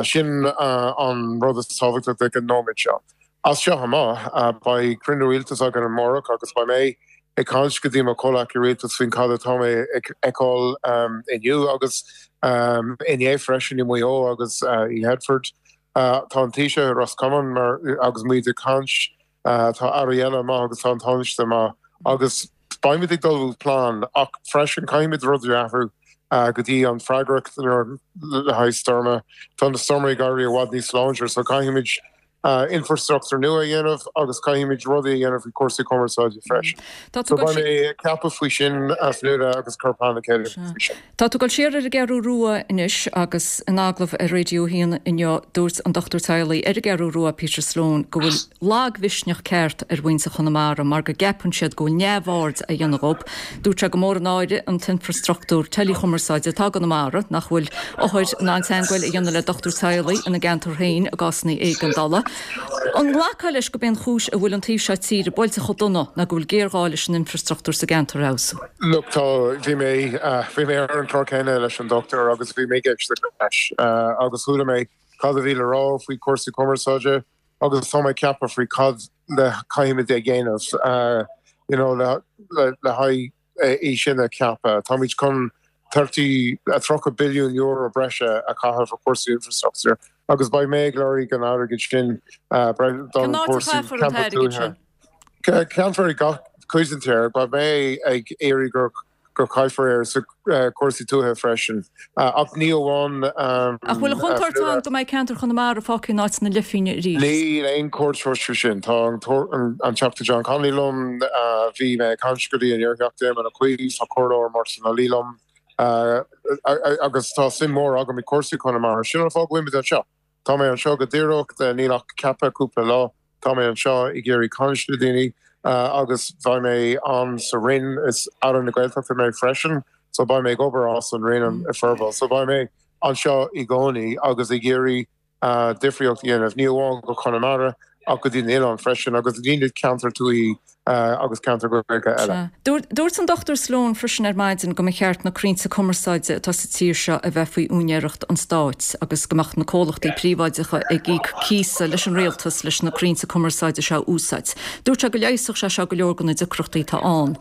Sin an rud is tábhachtaí ag an nóiméad seo. As seo amach, beidh cruinniú rialtais againn amárach agus beidh mé ag caint go dtí mo chomhleacaí rialtais faoin cad atá mé ag feiceáil inniu agus inné freisin i Maigh Eo agus i Headford. Tá an Taoiseach i Ros Comáin mar agus muid ag caint, tá airí eile amach agus tá an Tánaiste amach agus beimid ag ullmhú plean ach freisin caithfimid rudaí a athrú go dtí an freagracht le haghaidh stoirme. Tá na stoirmeanna ag éirí i bhfad níos láidre so caithfimid infrastruchtúr nua a dhéanamh agus caithfimid rudaí a dhéanamh faoi chúrsaí cumarsáide freisin. So beidh mé ag ceapadh faoi sin, a Fhionnuala, agus cur plean le chéile faoi sin. Tá tú ag dul siar ar an gCeathrú Rua anois agus in agallamh ar Raidió 1 inniu dúirt an dochtúir teaghlaigh ar an gCeathrú Rua, Peter Sloane, go bhfuil lagmhisneach ceart ar mhuintir Chonamara mar go gceapann siad go bhfuil neamhaird á dhéanamh dhób. Dúirt sé gur mór an náire an t-infrastruchtúr teileachumarsáide atá i gConamara, nach bhfuil othair in ann teagmháil a dhéanamh le dochtúir teaghlaigh ina gceantar féin i gcásanna éigeandála. An nglacfá leis gurb é an chúis a bhfuil an taobh seo tíre buailte chomh dona ná go bhfuil géarghá leis an infrastruchtúr sa gceantar a fheabhsú? Look, tá, bhí mé, bhí mé ar an chlár céanna leis an dochtúir agus bhí mé ag éisteacht leis agus chuala mé cad a bhí le rá faoi chúrsaí cumarsáide agus tá mé ag ceapadh faoi cad le caithfimid a dhéanamh you know le le haghaidh é sin a cheapadh. Táimid chun 30, €30 billiún breise a chaitheamh ar chúrsaí infrastruchtúir. Agus beidh mé ag lorg an airgid sin don cúrsaí ceantar tuaithe. Caithfear i gach cuid den tír. Beidh mé ag iarraidh gur go caithfear ar sa cúrsaí tuaithe freisin. Ach ní amháin. Ach bhfuil an chontúirt ann go mbeidh ceantar Chonamara fágtha in áit na leithphingne arís? Níl aon chontúirt faoi sin. Tá an Teachta John Connolly liom, bhí mé ag caint go dtí an iarTheachta Éamon Ó Cuív, tá Comhairleoir Martin Ó Laoi liom agus tá suim mhór agam i cúrsaí Chonamara. Sin an fáth go bhfuilimid anseo. Tá mé anseo go díreach, níl ach ceaptha cúpla lá. Tá mé anseo ag iarraidh caint le daoine agus beidh mé ann sa Rinn, is Aire na Gaeltachta mé freisin so beidh mé ag obair as an Rinn i Forbacha. So beidh mé anseo i gcónaí agus ag iarraidh difríocht a dhéanamh, ní amháin go Conamara ach go dtí na oileáin freisin agus go dtí na ceantair tuaithe agus ceantair Ghaeilge eile. Dúirt an Dr Sloane freisin ar maidin go mba cheart na crainnte cumarsáide atá sa tír seo a bheith faoi úinéireacht an stáit agus go mbeadh na comhlachtaí príobháideacha ag íoc cíosa leis an rialtas leis na crainnte cumarsáide seo a úsáid. Dúirt sé go leigheasfadh sé seo go leor de na deacrachtaí atá ann.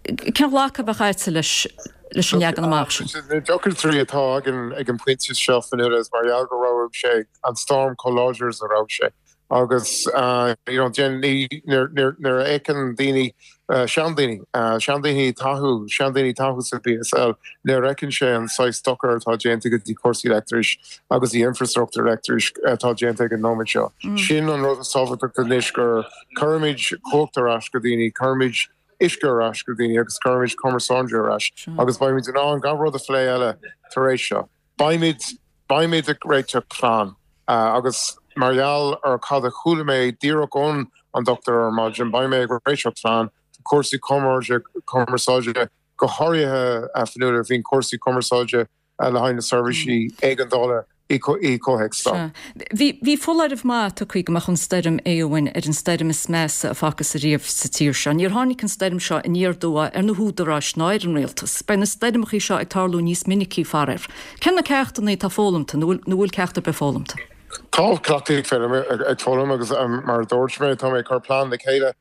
Cén ghlacadh a bheadh agatsa leis leis an leagan amach sin? Na deacrachtaí atá againn ag an bpointe seo, Fionnuala, is mar gheall go raibh sé an storm chomh láidir is a raibh sé. Agus you know nuair a fheiceann daoine, seandaoine, seandaoine taithí, seandaoine taithí sa BSL, nuair a fheiceann sé an saghas dochar atá déanta go dtí cúrsaí leictris agus the infrastructure leictris atá déanta ag an nóiméad seo. Sin an rud is tábhachtach anois gur cuirimid cumhacht ar ais go daoine, cuirimid uisce ar ais go daoine agus cuirimid cumarsáid ar ais agus beimid in ann gach rud a phlé eile tar éis seo. Beimid, beimid ag réiteach plean agus mar gheall ar cad a chuala mé díreach ón an dochtúir ar maidin, beidh mé ag réiteach plean do cúrsaí cumarsáide, go háirithe, a Fionnuala, faoin cúrsaí cumarsáide le haghaidh na seirbhísí éigeandála i gcomhthéacs storm. Bhí, bhí foláireamh maith tugtha go mbeadh an stoirm Éowyn ar an stoirm is measa a facthas ariamh sa tír seo. Níor tháinig an stoirm seo aniar aduaidh ar na húdaráis ná ar an rialtas. Beidh na stoirmeachaí seo ag tarlú níos minicí, faraor. Cé na ceachtanna atá foghlamta, nó an bhfuil ceacht ar bith foghlamta? Tá cleachtaí ag foghlaim agus mar a dúirt mé, tá mé ag cur plean le chéile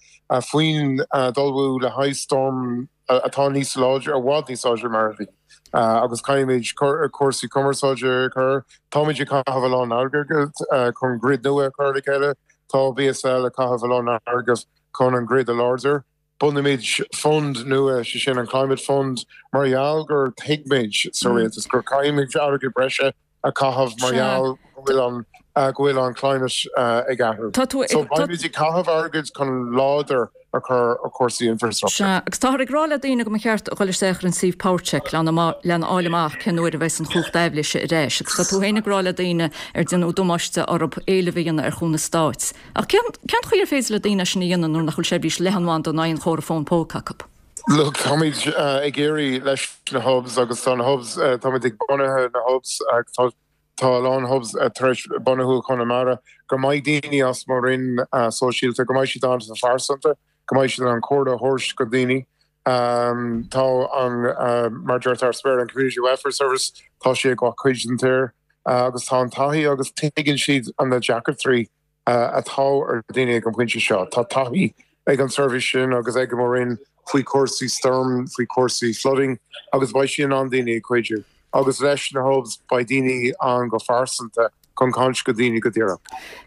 faoin d'ullmhú le haghaidh storm atá níos láidre, i bhfad níos láidre mar a bhí. Agus caithfimid cúrsaí cumarsáide a chur. Táimid ag caitheamh a lán airgid chun grid nua a chur le chéile. Tá BSL ag caitheamh a lán airgid chun an grid a láidir. Bunaímid fund nua, sé sin an Climate Fund, mar gheall gur thuig muid sa rialtas gur caithfimid airgead breise a chaitheamh mar gheall go bhfuil an go bhfuil an climate ag athrú. So beimid ag caitheamh airgid chun láidir a chur ar chúrsaí infrastructure. Sea, agus táthar ag rá le daoine go mba cheart a dhul isteach ar an suíomh PowerCheck lena fháil amach cén uair a bheas an chumhacht aibhléise ar ais. Agus tá tú féin ag rá le daoine ar déanadh damáiste orthu éileamh a dhéanamh ar chúnamh stáit. Ach cén cén chaoi ar féidir le daoine é sin a dhéanamh nuair nach bhfuil seirbhís leathanbhanda ná aon chomhartha fón póca acu? Look, táimid ag iarraidh leis na hubs agus tá na hubs, táimid ag bunaithe na hubs, tá tá a lán hubs tar éis bunú i Conamara, go mbeidh daoine as mo roinn sóisialta, go mbeidh siad ann go phearsanta, go mbeidh siad in ann comhairle a thabhairt go daoine. Tá an, mar deirtear as Béarla, an Community Welfare Service, tá sé ag gach cuid den tír agus tá an taithí agus tuigeann siad na deacrachtaí atá ar daoine ag an bpointe seo. Tá taithí ag an seirbhís sin agus ag mo Roinn faoi chúrsaí stoirm, faoi chúrsaí flooding agus beidh sí in ann daoine a chuidiú. Agus leis na hubs beidh daoine ann go phearsanta chun caint go daoine go díreach.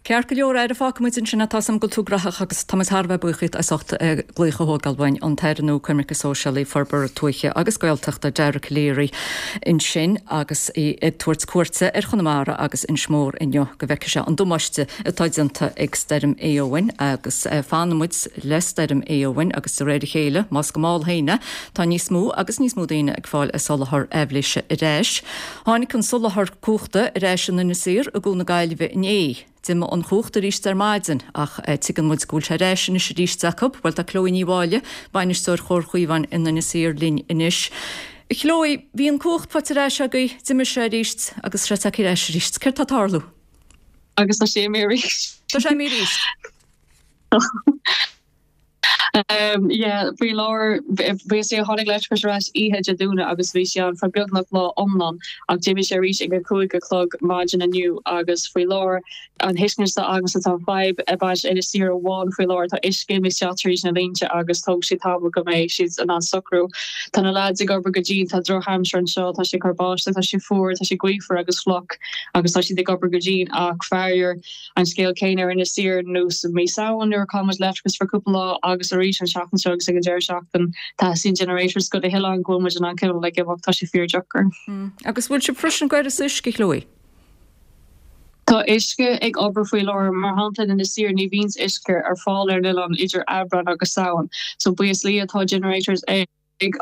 Ceart go leor, a Aire, fágfaidh muid ansin é. Tá 's agam go bhfuil tú graitheach agus tá muid thar a bheith buíoch díot as ucht glaoch a thógáil uainn, an tAire nua Coimirce Sóisialaí, Forbartha Tuaithe agus Gaeltachta, Dara Calleary, ansin agus é ag tabhairt cuairte ar Chonamara agus Inis Mór inniu go bhfeicfidh sé an damáiste atá déanta ag Stoirm Éowyn agus fanfaidh muid le Stoirm Éowyn agus de réir a chéile, más go mall féin é, tá níos mó agus níos mó daoine ag fáil a soláthar aibhléise ar ais. Tháinig an soláthar cumhachta ar ais in Inis Oírr i gCo na Gaillimhe inné. D'imigh an chumhacht arís ar maidin ach tuigeann muid go bhfuil sé ar ais anois arís acu. Bhuel tá Chloe Ní Mháille, Bainisteoir Chomhar Chaomháin in Inis Oírr linn anois. A Chloe, bhí an cumhacht faighte ar ais agaibh, d'imigh sé arís agus tá sé tagtha ar ais arís. Céard tá ag tarlú? Agus tá sé imithe arís. Tá sé imithe arís. Yeah, faoi láthair, buíochas le Dia tháinig leictreachas ar ais oíche Dé Domhnaigh agus bhí sé ann feadh beagnach lá iomlán ach d'imigh sé arís ag a 5 a chlog maidin inniu agus faoi láthair an thuiscint atá agamsa tá an fadhb ag baint Inis Oírr amháin faoi láthair, tá uisce imithe isteach tríd na línte agus tógfaidh sé tamall go mbeidh siad in ann socrú. Tá na lads ag obair go dian, tá drochaimsir anseo, tá sé ag cur báisteach, tá sé fuar, tá sé gaofar agus fliuch agus tá siad ag obair go dian ach faraor An scéal céanna ar Inis Oírr nós i mí Samhain nuair a chaill muid leictreachas for cúpla lá agus arís an seachtain seo agus ag an deireadh seachtain. Teastaíonn generators go na hoileáin go bhfuil muid in ann cineál ag imeacht, tá sé fíor deacair. Agus bhfuil sibh freisin ag uireasa uisce, Chloe? Tá uisce ag obair faoi láthair, mar shampla in Inis Oírr ní bhíonns uisce ar fáil ar an oileán idir Aibreán agus Samhain so buíochas le Dia tá generators ag ag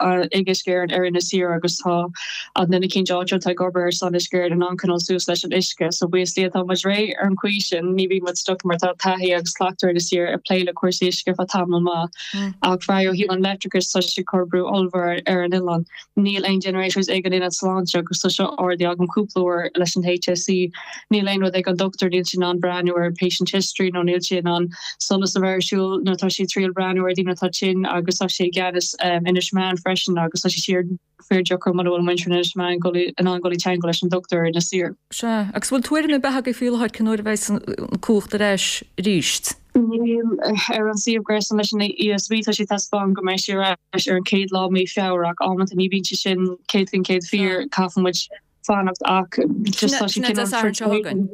Uisce Éireann ar Inis Oírr agus tá an duine eicínt áitiúil atá ag obair ar son Uisce Éireann in ann coinneáil suas leis an uisce. So buíochas le Dia tá muid réidh ar an chaoi sin, ní bhíonn muid stuck mar tá taithí agus cleachtadh ar Inis Oírr ag plé le cúrsaí uisce ar feadh tamall maith. Ach faraor ó thaobh an leictreachais tá sé ag cur brú ollmhór ar an oileán. Níl aon generators ag an ionad sláinte agus tá seo ardaithe agam cúpla uair leis an HSE. Níl aon rud ag an dochtúir, níl sé in ann breathnú ar patient history nó níl sé in ann solas a bheith ar siúl nuair atá sé ag triail breathnú ar daoine atá tinn agus tá sé i gceannas Inis Meáin freisin agus tá sé síor fíor-deacair muna bhfuil muintir Inis Meáin in ann dul i dteangmháil leis an dochtúir ar Inis Oírr. Sea, agus bhfuil tuairim ar bith agaibh faoi láthair cén uair a bheidh an cumhacht ar ais arís? Níl. Ar an suíomh gréasáin leis an ESB tá sé ag taispeáint go mbeidh sé ar ais ar an chéad lá mí Feabhra ach amanta ní bhíonn sé sin 100% fíor, caithfidh muid fanacht ach just tá sé Sin é Dé cineál Sathairn seo chugainn.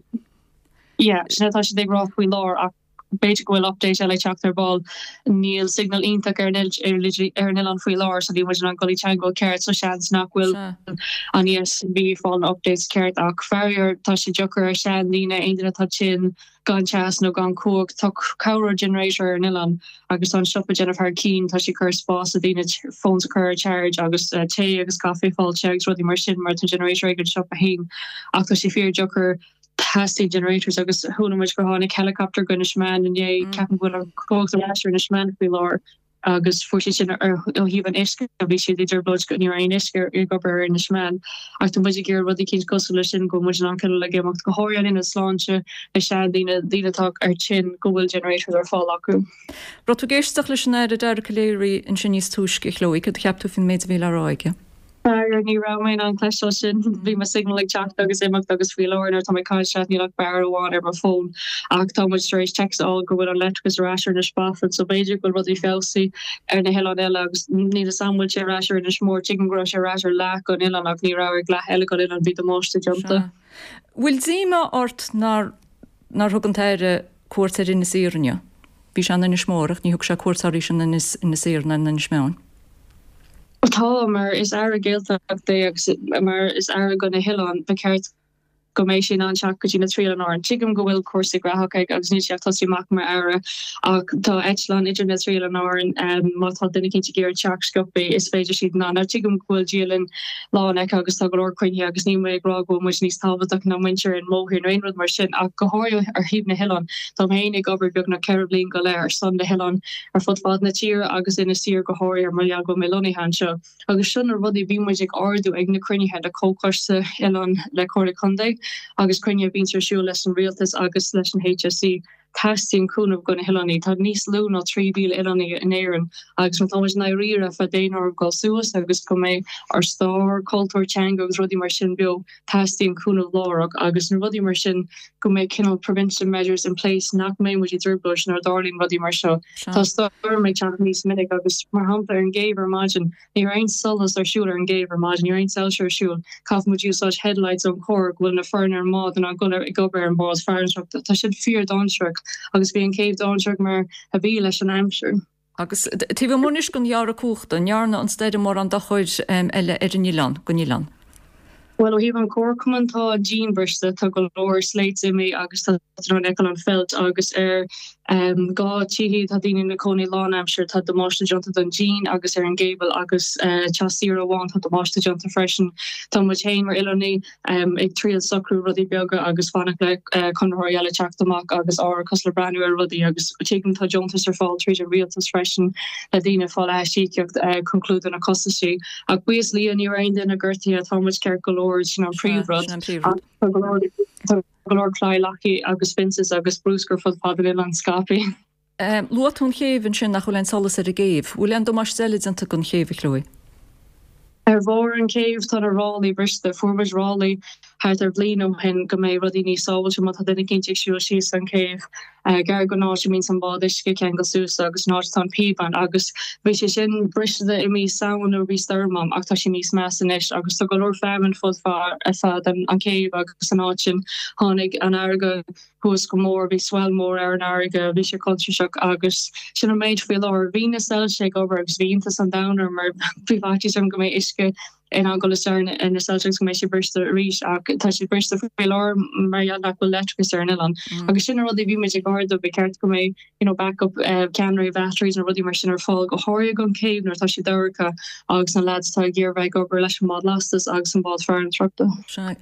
Yeah, sin atá siad ag rá faoi láthair ach b'fhéidir go bhfuil update eile ag teacht ar ball. Níl signal iontach ar an ar an oileán faoi láthair so níl muid in ann dul i dteangmháil ceart so seans nach bhfuil an ESB ag fáil na updates ceart ach faraor tá sé deacair ar sean daoine, aon duine atá tinn, gan teas nó gan cumhacht. Tá corradh generator ar an oileán agus tá an siopa ag déanamh thar cinn. Tá sé ag cur spás do daoine phones a chur ar charge agus tae agus caife a fháil te agus rudaí mar sin mar tá generator ag an siopa féin. Ach tá sé fíor deacair. Theastaigh generators agus chuala muid gur tháinig helicopter go Inis Meáin inné. Ceapaim go bhfuil an cumhacht ar ais ar Inis Meáin faoi láthair. agus fuair siad sin ó thaobh an uisce, bhí siad i dtrioblóid go ní raibh aon uisce ag obair ar Inis Meáin. Ach tá muid ag iarraidh rudaí eicínt cosúil leis sin go bhfuil muid in ann cineál ag imeacht, go háirithe an ionad sláinte, na seandaoine, daoine atá ar tinn, go bhfuil generators ar fáil acu. Raibh tú ag éisteacht leis an Aire Dara Calleary ansin níos túisce, a Chloe, cad a cheap tú faoin méid a bhí le rá aige? Faraor, ní raibh mé in ann cloisteáil sin. Bhí mo signal ag teacht agus imeacht agus faoi láthair nuair atá mé ag caint leat níl ach barra amháin ar mo fón. Ach tá muid tar éis text a fháil go bhfuil an leictreachas ar ais ar Inis Bafin so b'fhéidir go bhfuil rudaí feabhsaithe ar na hoileáin eile agus níl fhios a'm bhfuil sé ar ais ar Inis Mór. Tuigim go raibh sé ar ais ar leath den oileán ach ní raibh ar leath eile den oileán, bhí damáiste déanta. Sea. Bhfuil díomá ort nár nár thug an tAire cuairt ar Inis Oírr inniu? Bhí sé in Inis Mór ach ní thug sé cuairt arís in Inis Oírr ná in Inis Meáin. Tá, mar is Aire Gaeltachta é agus mar is Aire do na hoileáin, ba cheart go mbeidh sé in ann teacht go dtí na trí oileán Árann. Tuigim go bhfuil cúrsaí graitheach aige agus níl sé ach tosaí amach mar Aire ach tá eitleán idir na trí oileán Árann, má tá duine eicínt ag iarraidh teacht sciobthaí is féidir siad in ann. Now tuigim go bhfuil dialann lán aige agus tá go leor cruinnithe agus níl mé ag rá go bhfuil muid níos tábhachtach ná muintir an mhórthír nó aon rud mar sin ach go háirithe ar thaobh na hoileán. Táim féin ag obair beagnach 4 bhliain go leith ar son na hoileán ar fud fad na tíre agus Inis Oírr go háirithe mar gheall go bhfuil mé lonnaithe anseo. Agus seo na rudaí bíonn muid ag ardú ag na cruinnithe le Comhchoiste Oileán le Comhairle Contae agus cruinnithe a bhíonns ar siúl leis an Rialtas agus leis an HSE. Teastaíonn cúnamh do na hoileánaigh. Tá níos lú ná 3,000 oileánaigh in Éirinn agus má tá muid i ndáiríre fá daonáireamh dul suas agus go mbeidh ár stair, cultúr, teanga agus rudaí mar sin beo, teastaíonn cúnamh láithreach agus na rudaí mar sin go mbeidh cineál prevention measures in place nach mbeidh muid i dtrioblóid nuair a dtarlaíonn rudaí mar seo. Tá stoirm ag teacht níos minic agus mar shampla ar an gcéibh ar maidin, Ní raibh aon solas ar siúl ar an gcéibh ar maidin, ní raibh aon soilse ar siúl. Caithfidh muid úsáid headlights ón charr go bhfuil na foireann ar an mbád in ann dul ag obair ar an bhád farantóireachta. Tá siad fíor dainséarach agus bhí an chéibh dainséarach mar a bhí leis an aimsir. Agus taobh amuigh anois den ghearradh cumhachta, an ndearna an stoirm mórán dochair eile ar an oileán, don oileán? Bhuel, ó thaobh an chomharchumainn, tá an díon briste, tá go leor slates imithe agus tá tú in ann feiceáil an feilt agus ar 2 tithe tá daoine ina cónaí lánaimseartha, tá damáiste déanta don díon agus ar an gcable agus teach saoire amháin tá damáiste déanta freisin. Tá muid féin mar oileánaigh ag triail socrú rudaí beaga agus fanacht le conraitheoirí eile teacht amach agus árachas le breathnú ar rudaí agus tuigim tá deontais ar fáil tríd an rialtas freisin le daoine fáil aisíocaíocht chun clúdú na costaisí. Ach buíochas le Dia ní raibh aon duine gortaithe, tá muid ceart go leor, sin an príomhrud. Ach tá go leor, tá go leor claí leagtha agus fences agus bruscar fud fad an oileáin scaipthe. Luaigh tú an chéibh ansin, nach bhfuil aon solas ar an gcéibh. Bhfuil aon damáiste eile déanta don chéibh, a Chloe? Ar bharr an chéibh tá na ráillí briste. Fuair muid ráillí thart ar bhliain ó shin go mbeidh rudaí níos sábhailte má tá duine eicínt ag siúl síos an chéibh gar don áit a mbíonns an bád uisce ceangal suas agus an áit atá an píobán agus bhí sé sin briste i mí Samhain nuair a bhí stoirm ann ach tá sé níos measa anois agus tá go leor feamainn fud fad an chéibh agus an áit sin tháinig an fharraige thuas go mór, bhí swell mór ar an fharraige, bhí sé contúirteach agus sin an méid faoi láthair. Bhí na soilse ag obair agus bhí iontas an domhain orm mar bhí faitíos orm go mbeidh uisce in ann dul isteach ar na soilse agus go mbeidh siad briste arís ach tá siad briste faoi láthair mar gheall nach bhfuil leictreachas ar an oileán. Agus sin na rudaí a bhí muid ag ardú, ba cheart go mbeidh you know backup ceannairí batteries nó rudaí mar sin ar fáil go háirithe don chéibh nuair atá sé dorcha agus na lads atá ag iarraidh bheith ag obair leis an mbád lastais agus an bád farantóireachta. Sea.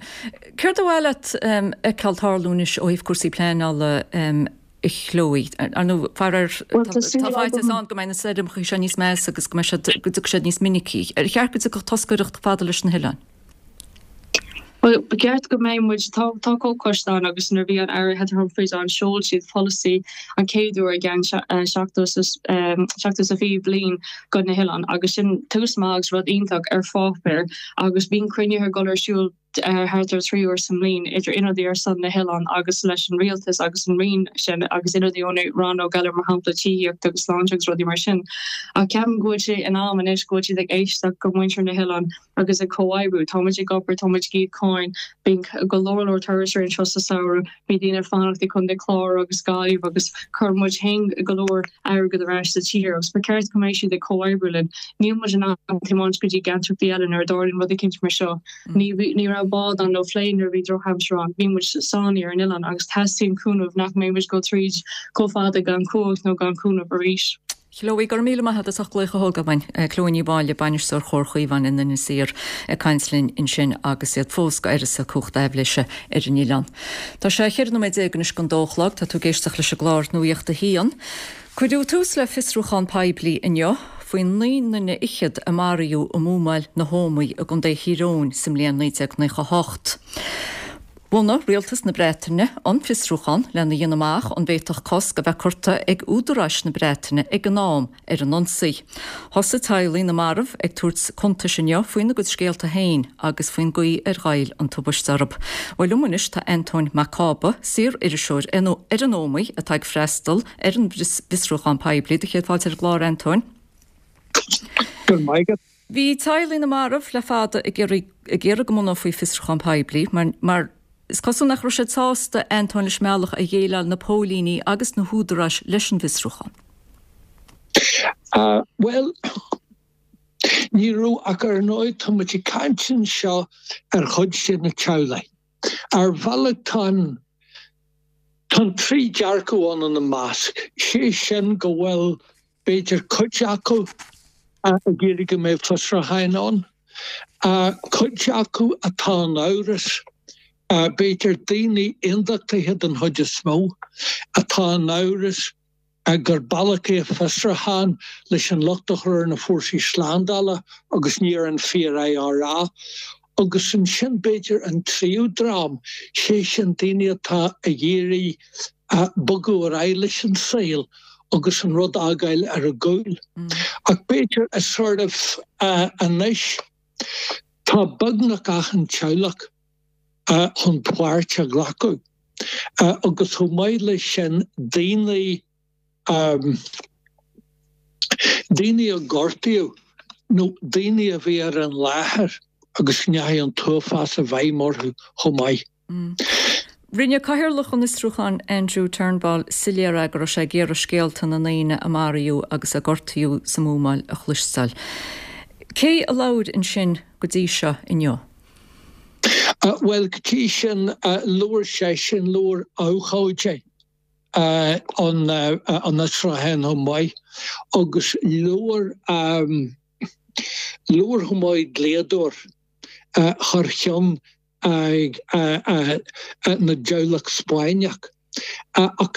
Céard ba mhaith leat fheiceáil tarlú anois ó thaobh cúrsaí pleanála a Chloe? Ar ndóigh, faraor, tá faitíos ann go mbeidh na stoirmeacha seo níos measa agus go mbeidh siad, go dtiocfaidh siad níos minicí. Ar cheart go dtiocfadh toscaireacht fada leis na hoileáin? Bhuel, ba cheart go mbeidh muid, tá, tá comhchoiste ann agus nuair a bhí an Aire Heather Humphreys ann, sheol siad polasaí an chéad uair i gceann 70 bliain do na hoileáin agus sin tús maith agus rud iontach ar pháipéar agus bíonn cruinnithe ag dul ar siúl thart ar 3 uair sa mbliain idir ionadaí ar son na hoileán agus leis an rialtas agus an roinn sin agus ionadaí ó na rannóg eile mar shampla tithíocht agus sláinte agus rudaí mar sin. Ach ceapaim go bhfuil sé in am anois go bhfuil siad ag éisteacht go muintir na hoileán agus ag comhoibriú. Tá muid ag obair, tá muid ag íoc cáin, bíonn go leor leor turasóirí anseo sa samhradh, bíonn daoine ag fanacht i Contae Clár agus Gaillimh agus cuireann muid féin go leor airgead ar ais sa tír agus ba cheart go mbeidh siad ag comhoibriú linn. Níl muid in ann tiomáint go dtí gceantracha eile nuair a dtarlaíonn rud eicínt mar seo. Ní ní raibh bád ann nó plane nuair a bhí drochaimsir ann. Bhí muid sáinnithe ar an oileán agus teastaíonn cúnamh nach mbeidh muid ag dul tríd chomh fada gan cumhacht nó gan cúnamh arís. Chloe, go raibh míle maith agat as ucht glaoch a thógáil uainn. Chloe Ní Mháille, Bainisteoir Chomhar Chaomháin in Inis Oírr ag caint linn ansin agus iad fós go uireasa cumhacht aibhléise ar an oileán. Tá sé 14 nóiméad anois don dó a chlog, tá tú ag éisteacht leis an gclár Nuacht a hAon. Cuireadh tús le fiosrúchán poiblí inniu faoi 9 nduine fhichead a maraíodh i mbuamáil na hÓmaí i gContae Thír Eoghain sa mbliain 1998. Bhunaigh Rialtas na Breataine an fiosrúchán lena dhéanamh amach an bhféadfadh cosc a bheith curtha ag údaráis na Breataine ag an am ar an ionsaí. Thosaigh teaghlaigh na marbh ag tabhairt cuntais inniu faoina gcuid scéalta féin agus faoin gcaoi ar ghoill an tubaiste orthu. Bhuel liom anois tá Antóin Mac Cába, saor-iriseoir ar an Ómaigh atá ag freastal ar an bhfiosrúchán poiblí. Do chéad fáilte ar an gclár, Antóin. Go raibh maith agat. Bhí teaghlaigh na marbh le fada ag iarraidh ag iarraidh go mbunófaí fiosrúchán poiblí mar mar is cosúil nach raibh siad sásta, Antóin, leis an mbealach a dhéileáil na póilíní agus na húdaráis leis an bhfiosrúchán. Bhuel, ní raibh ach ar ndóigh tá muid ag caint anseo ar chuid de na teaghlaigh. Ar bhealach tá an tá an trí dearcadh ann ina measc, sé sin go bhfuil b'fhéidir cuid acu ag iarraidh go mbeadh fiosrúcháin ann, cuid acu atá in amhras, b'fhéidir daoine aondachtaithe den chuid is mó, atá in amhras gur bealach é fiosrúchán leis an locht a chur ar na fórsaí slándála agus ní ar an fíor-IRA. Agus ansin b'fhéidir an tríú dream, sé sin daoine atá ag iarraidh bogadh ar aghaidh leis an saol agus an rud a fhágáil ar a gcúl. Ach b'fhéidir a sort of anois tá beagnach achan teaghlach chun páirt a ghlacadh agus chomh maith leis sin daoine daoine a gortaíodh nó daoine a bhí ar an láthair agus go ndeachaigh an t-uafás i bhfeidhm orthu chomh maith. Rinne Cathaoirleach an fhiosrúcháin Andrew Turnbull soiléir é go raibh sé ag iarraidh scéalta na ndaoine a maraíodh agus a gortaíodh sa mbuamáil a chloisteáil. Cé a labhair ansin go dtí seo inniu? Bhuel, go dtí sin, labhair seisean, labhair abhcóide an fhiosrúcháin chomh maith agus labhair, labhair chomh maith dlíodóir thar cheann ag na dteaghlach Spáinneach. Ach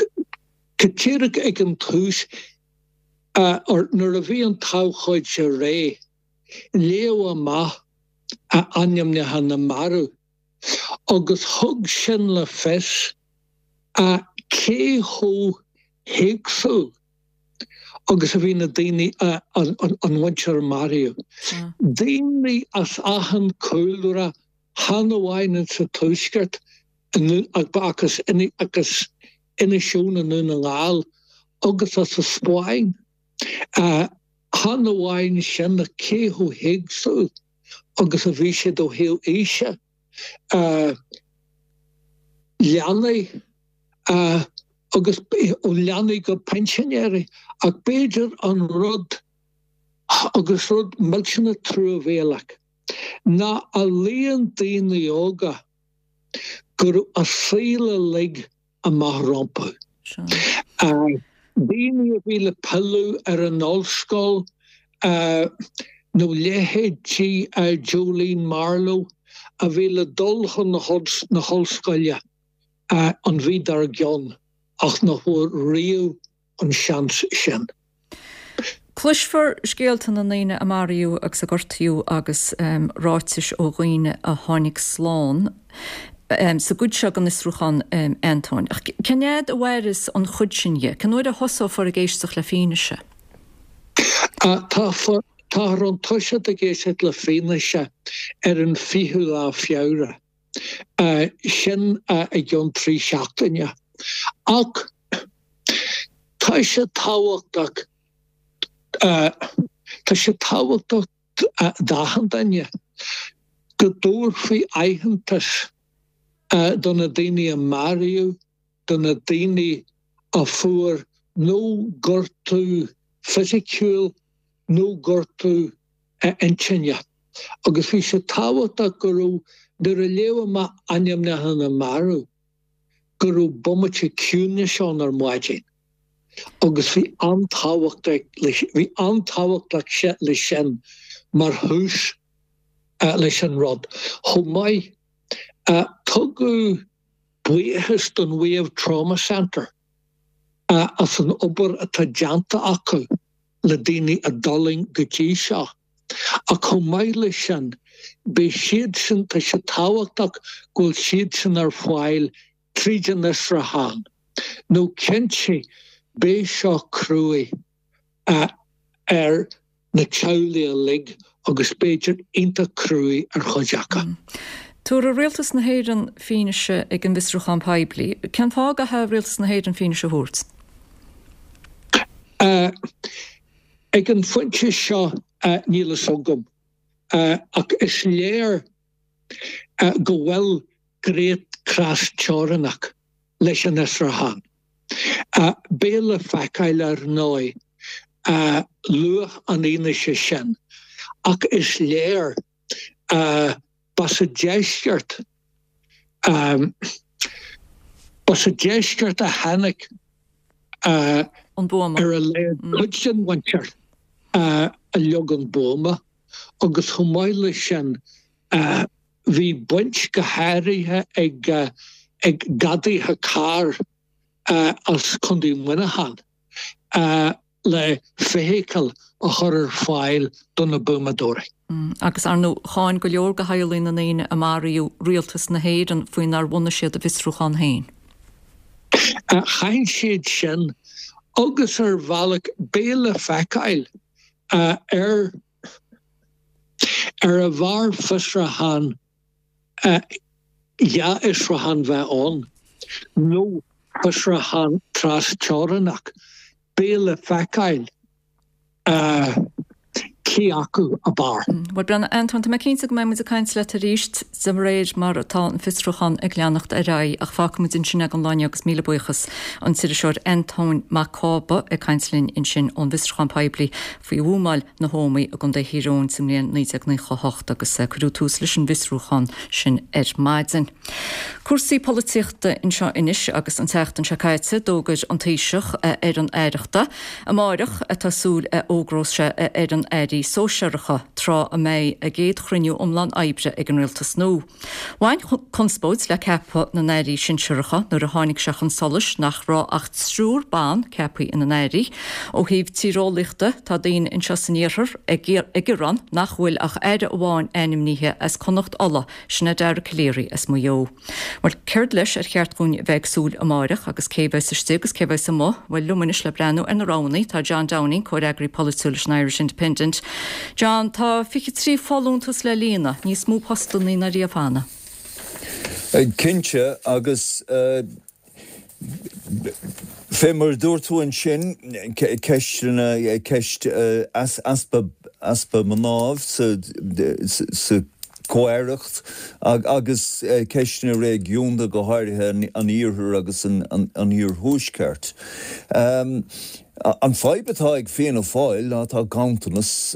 go díreach ag an tús, nuair a bhí an t-abhcóide réidh, léadh amach ainmneacha na marbh agus thug sin le fios cé chomh héagsúil. agus a bhí na daoine, an mhuintir a maraíodh. Daoine as achan cúlra, chan amháin insa Tuaisceart ach as Inis Eoghain i nDún na nGall agus as an Spáinn. Chan amháin sin ach cé chomh héagsúil agus a bhí siad ó thaobh aoise. Leanaí agus ó leanaí go pinsinéirí ach b'fhéidir an rud agus rud millteanach truamhéalach ná an líon daoine óga go raibh a saol uilig amach rompu. Daoine a bhí le pilleadh ar an ollscoil nó leithéidí Jolene Marlowe a bhí le dul chun na hollscoile an mhí dár gcionn ach nach bhfuair riamh an seans sin. Cloisfear scéalta na ndaoine a maraíodh agus a gortaíodh agus ráitis ó dhaoine a tháinig slán sa gcuid seo den fhiosrúchán, Antóin. Ach cén fhad a mhairfeas an chuid sin dhe? Cén uair a thosófar ag éisteacht le fianaise? Táthar chun toiseacht ag éisteacht le fianaise ar an 20ú lá Feabhra. Sin i gceann 3 seachtaine. Ach tá sé tábhachtach, tá sé tábhachtach d'achan duine go dtabharfaí aitheantas do na daoine a maraíodh, do na daoine a fuair nó gortú fisiciúil nó gortú intinne. Agus bhí sé tábhachtach go raibh, nuair a léadh amach ainmneacha na marbh, go raibh bomaite ciúnais ann ar maidin agus bhí an-tábhacht bhí an-tábhacht leis sin mar thús leis an rud. Chomh maith, tugadh buíochas don Wave Trauma Centre as an obair atá déanta acu le daoine a d'fhulaing go dtí seo. Ach chomh maith leis sin, beidh siadsan, tá sé tábhachtach go bhfuil siadsan ar fáil tríd an fhiosrúchán, nó cinnte beidh seo cruaidh ar na teaghlaigh uilig agus b'fhéidir iontach cruaidh ar chuid acu. Tabharfaidh Rialtas na hÉireann fianaise ag an bhfiosrúchán poiblí. Cén fáth a gcaithfidh Rialtas na hÉireann fianaise a thabhairt? Ag an phointe seo níl fhios agam, ach is léir go bhfuil gné thras-teorannach leis an fhiosrúchán. Beidh le feiceáil ar ndóigh luach an fhianaise sin, ach is léir ba sa deisceart ba sa deisceart a tháinig an buama. Ar a laghad cuid den mhuintir a leag an buama agus chomh maith leis sin bhí baint go háirithe ag ag gadaithe cairr as Contae Mhuineacháin le feithicil a chur ar fáil do na buamadóirí. Agus, ar ndóigh, cháin go leor de theaghlaigh na ndaoine a maraíodh rialtas na hÉireann faoi nár bhunaigh siad a bhfiosrúchán féin. Cháin siad sin agus ar bhealach beidh le feiceáil ar ar a bhfearr fiosrúchán dhá fhiosrúchán bheith ann nó fiosrúchán tras-teorannach. Beidh le feiceáil cé acu ab fhearr. Bhuel, breathnaigh, Antóin, tá mé cinnte go mbeidh muid ag caint leat arís de réir mar atá an fiosrúchán ag leanacht ar aghaidh ach fágfaidh muid ansin é don lá inniu agus míle buíochas an t-iriseoir Antóin Mac Cába ag caint linn ansin ón bhfiosrúchán poiblí faoi bhuamáil na hÓmaí i gContae Thír Eoghain sa mbliain 1998 agus cuireadh tús leis an bhfiosrúchán sin ar maidin. Cúrsaí polaitíochta anseo anois agus an tseachtain seo caite d'fhógair an Taoiseach a fhoireann aireachta. Amáireach atá súil a fhógrós sé a fhoireann airí sóisearacha. tráth a mbeidh a gcéad chruinniú iomlán oibre ag an rialtas nua. Bhain conspóid le ceapadh na n-airí sinsearacha nuair a tháinig sé chun solais nach raibh ach triúr ban ceaptha ina n-airí. Ó thaobh tíreolaíochta, tá daoine anseo san iarthar ag gearán nach bhfuil ach aire amháin ainmnithe as Connacht Uladh, sin é Dara Calleary as Maigh Eo. Bhuel, céard leis ar cheart dhúinn a bheith ag súil amáireach agus cé a bheas istigh agus cé a bheas amuigh? Bhuel, liom anois le breathnú ar na roghanna tá John Downing, comhfhreagraí polaitiúil leis an Irish Independent. John, tá 23 folúntas le líonadh, níos mó postannaí ná riamh cheana. Cinnte, agus Fé mar a dúirt tú ansin, ceisteanna, ceist easpa, easpa mná sa, sa chomh-aireacht agus ceisteanna réigiúnda, go háirithe an Iarthair agus an Iarthuaisceart. An fadhb atá ag Fianna Fáil ná tá ganntanas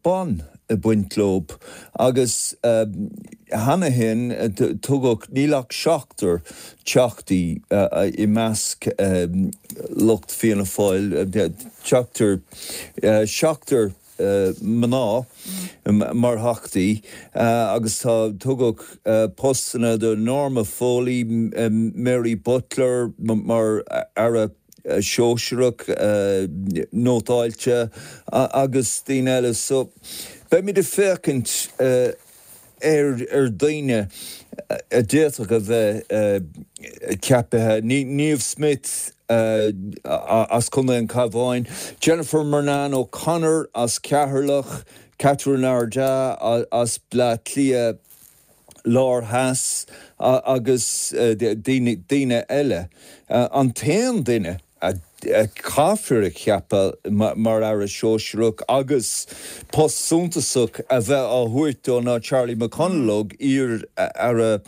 ban ag baint leob agus cheana féin tugadh, níl ach seachtar teachtaí i measc lucht Fianna Fáil, seachtar, seachtar mná mar theachtaí agus tá, tugadh postanna do Norma Foley, Mary Butler mar Aire Sóisearach nótáilte agus daoine eile. So beimid ag féachaint ar daoine a d'fhéadfadh a bheith ceaptha, Niamh Smyth as Contae an Chabháin, Jennifer Murnane O'Connor as Ceatharlach, Catherine Ardagh as Bleá Cliath Lár Theas agus daoine eile. An t-aon duine a chaithfear a cheapadh mar Aire Sóisearach agus post suntasach a bheith á thabhairt dó ná Charlie McConalogue, iar-Aire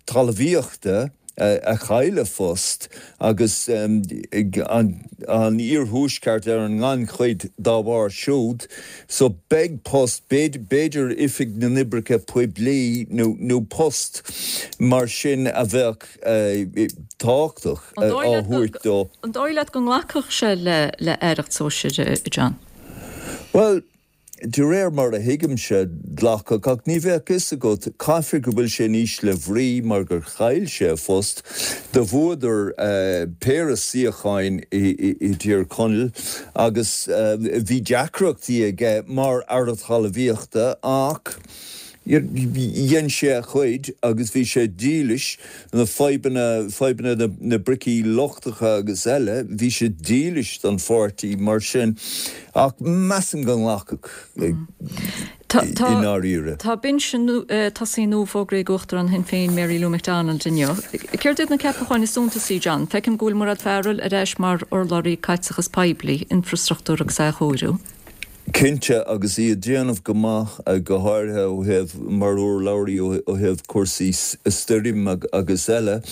Talmhaíochta. a chaill a phost agus an iarthuaisceart ar an ngannchuid dá bharr siúd. So beidh post, b'fhéidir Oifig na nOibreacha Poiblí nó post mar sin a bheadh tábhachtach á thabhairt dó. An dóigh leat go nglacfadh sé le aireacht sóisir, a John? Bhuel, De réir mar a thuigimse, ghlacfadh, ach ní bheadh fhios agat, caithfidh go bhfuil sé in ísle bhrí mar gur chaill sé a phost. Do bhuadar péire suíocháin i dTír Chonaill agus bhí deacrachtaí aige mar Aire Talmhaíochta ach dhein sé a chuid agus bhí sé dílis, na fadhbanna, fadhbanna na bricí lochtacha agus eile, bhí sé dílis don pháirtí mar sin ach measaim go nglacfadh i ndáiríre. Tá binse tosaigh nua fógraithe ag Uachtarán Shinn Féin Mary Lou McDonald inniu. Céard iad na ceapacháin is suntasaí, John? Feicim go bhfuil Mairéad Farrell ar ais mar urlabhraí caiteachas poiblí, infrastruchtúr agus athchóiriú. Cinnte, agus í ag déanamh go maith, go háirithe ó thaobh, mar urlabhraí ó thaobh cúrsaí stoirm agus eile.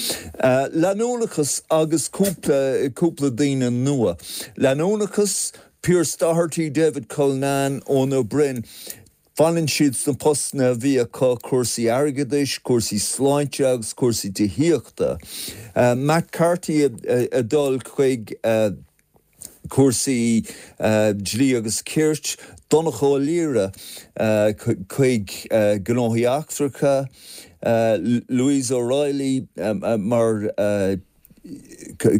Leanúnachas agus cúpla, cúpla daoine nua. Leanúnachas, Pearse Doherty, David Cullinane, Eoin Ó Broin, fanann siad sna postanna a bhí acu, cúrsaí airgeadais, cúrsaí sláinte agus cúrsaí tithíochta. Matt Carthy ag dul chuig. cúrsaí dlí agus cirt, Donnchadh Ó Laoghaire chuig gnóthaí eachtracha, Louise O'Reilly mar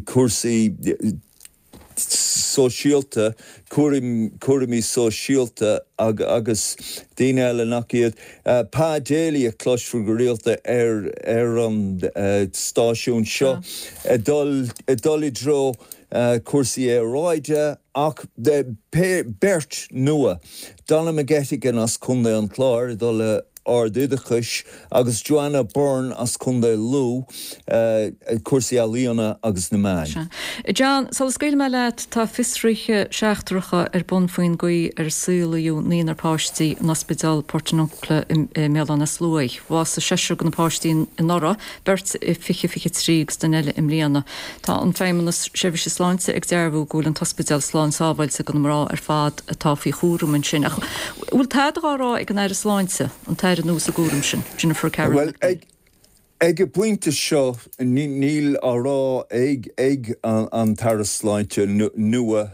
cúrsaí sóisialta, cúraimí sóisialta agus daoine eile nach iad. Pa Daly a chloisfear go rialta ar an stáisiún seo ag dul i dtreo cúrsaí aeráide ach beirt nua, Donna McGettigan as Contae an Chláir ag dul le Ard-Oideachais agus Joanna Byrne as Contae Lú, cúrsaí ealaíona agus na meáin. John, sula scaoilfidh mé leat, tá fiosruithe seachtracha ar bun faoin gcaoi ar saolaíodh naonúr páistí in Ospidéal Portiuncula i mBéal Átha na Sluaighe. Bhásaigh seisear de na páistí anuraidh, beirt i 2023 agus duine eile i mbliana. Tá an Feidhmeannas Seirbhíse Sláinte ag dearbhú go bhfuil an t-ospidéal slán sábháilte do na mná ar fad atá faoi chúram ansin. Ach bhfuil tada dhá rá ag an Aire Sláinte, an tAire nua sa gcúram sin, Jennifer Carroll Bhuel, ag, ag an bpointe seo, níl á rá ag, ag an tAire Sláinte nua.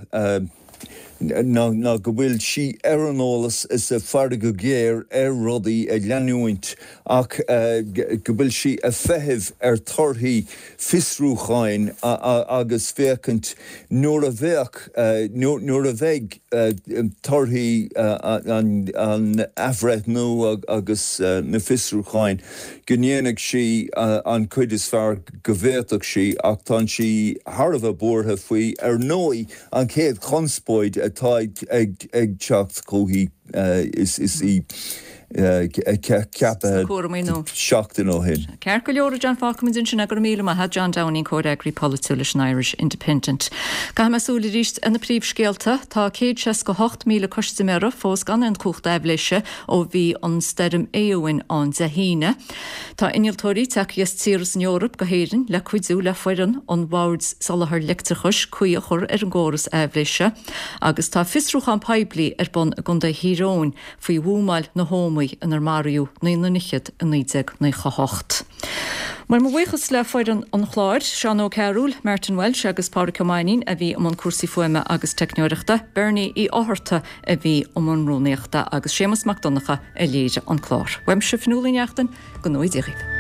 ná go bhfuil sí ar an eolas is ag faire go géar ar rudaí ag leanúint ach go bhfuil sí ag feitheamh ar torthaí fiosrúcháin agus féachaint nuair a bheadh, nuair a bheidh torthaí an athbhreithniú agus na fiosrúcháin go ndéanfaidh sí an chuid is fearr go bhféadfadh sí ach tá sí thar a bheith buartha faoi ar ndóigh an chéad chonspóid atá ag teacht chúithi is í ceaptha seachtain ó shin. Ceart go leor a John fágfaimid ansin é go raibh míle maith a't John Downing comhfhreagraí polaitiúil leis an Irish Independent. Caithfidh mé súil arís ar na príomhscéalta. Tá 168,000 custaiméara fós gan aon chumhacht aibhléise ó bhí an stoirm Éowyn ann Dé hAoine. Tá innealtóirí tagtha as tíortha san Eoraip go hÉirinn le cuidiú le foireann an Bhoird Soláthair Leictreachais caoi a chur ar an gcóras aibhléise agus tá fiosrúchán poiblí ar bun i gContae Thír Eoghain faoi bhuamáil na hÓmaí inar maraíodh naonúr fhichead i 1998. Bhuel, mo bhuíochas le foireann an chláir, Seán Ó Cearúil, Martin Walsh agus Pádraic Ó Mainnín a bhí i mbun cúrsaí fuaime agus teicneoireachta, Bernie Uí Fhátharta a bhí i mbun rúnaíochta agus Séamus Mac Donncha a léirigh an clár. Uaimse, Fionnuala Ní Neachtain, go ngnóthaí Dia dhaoibh.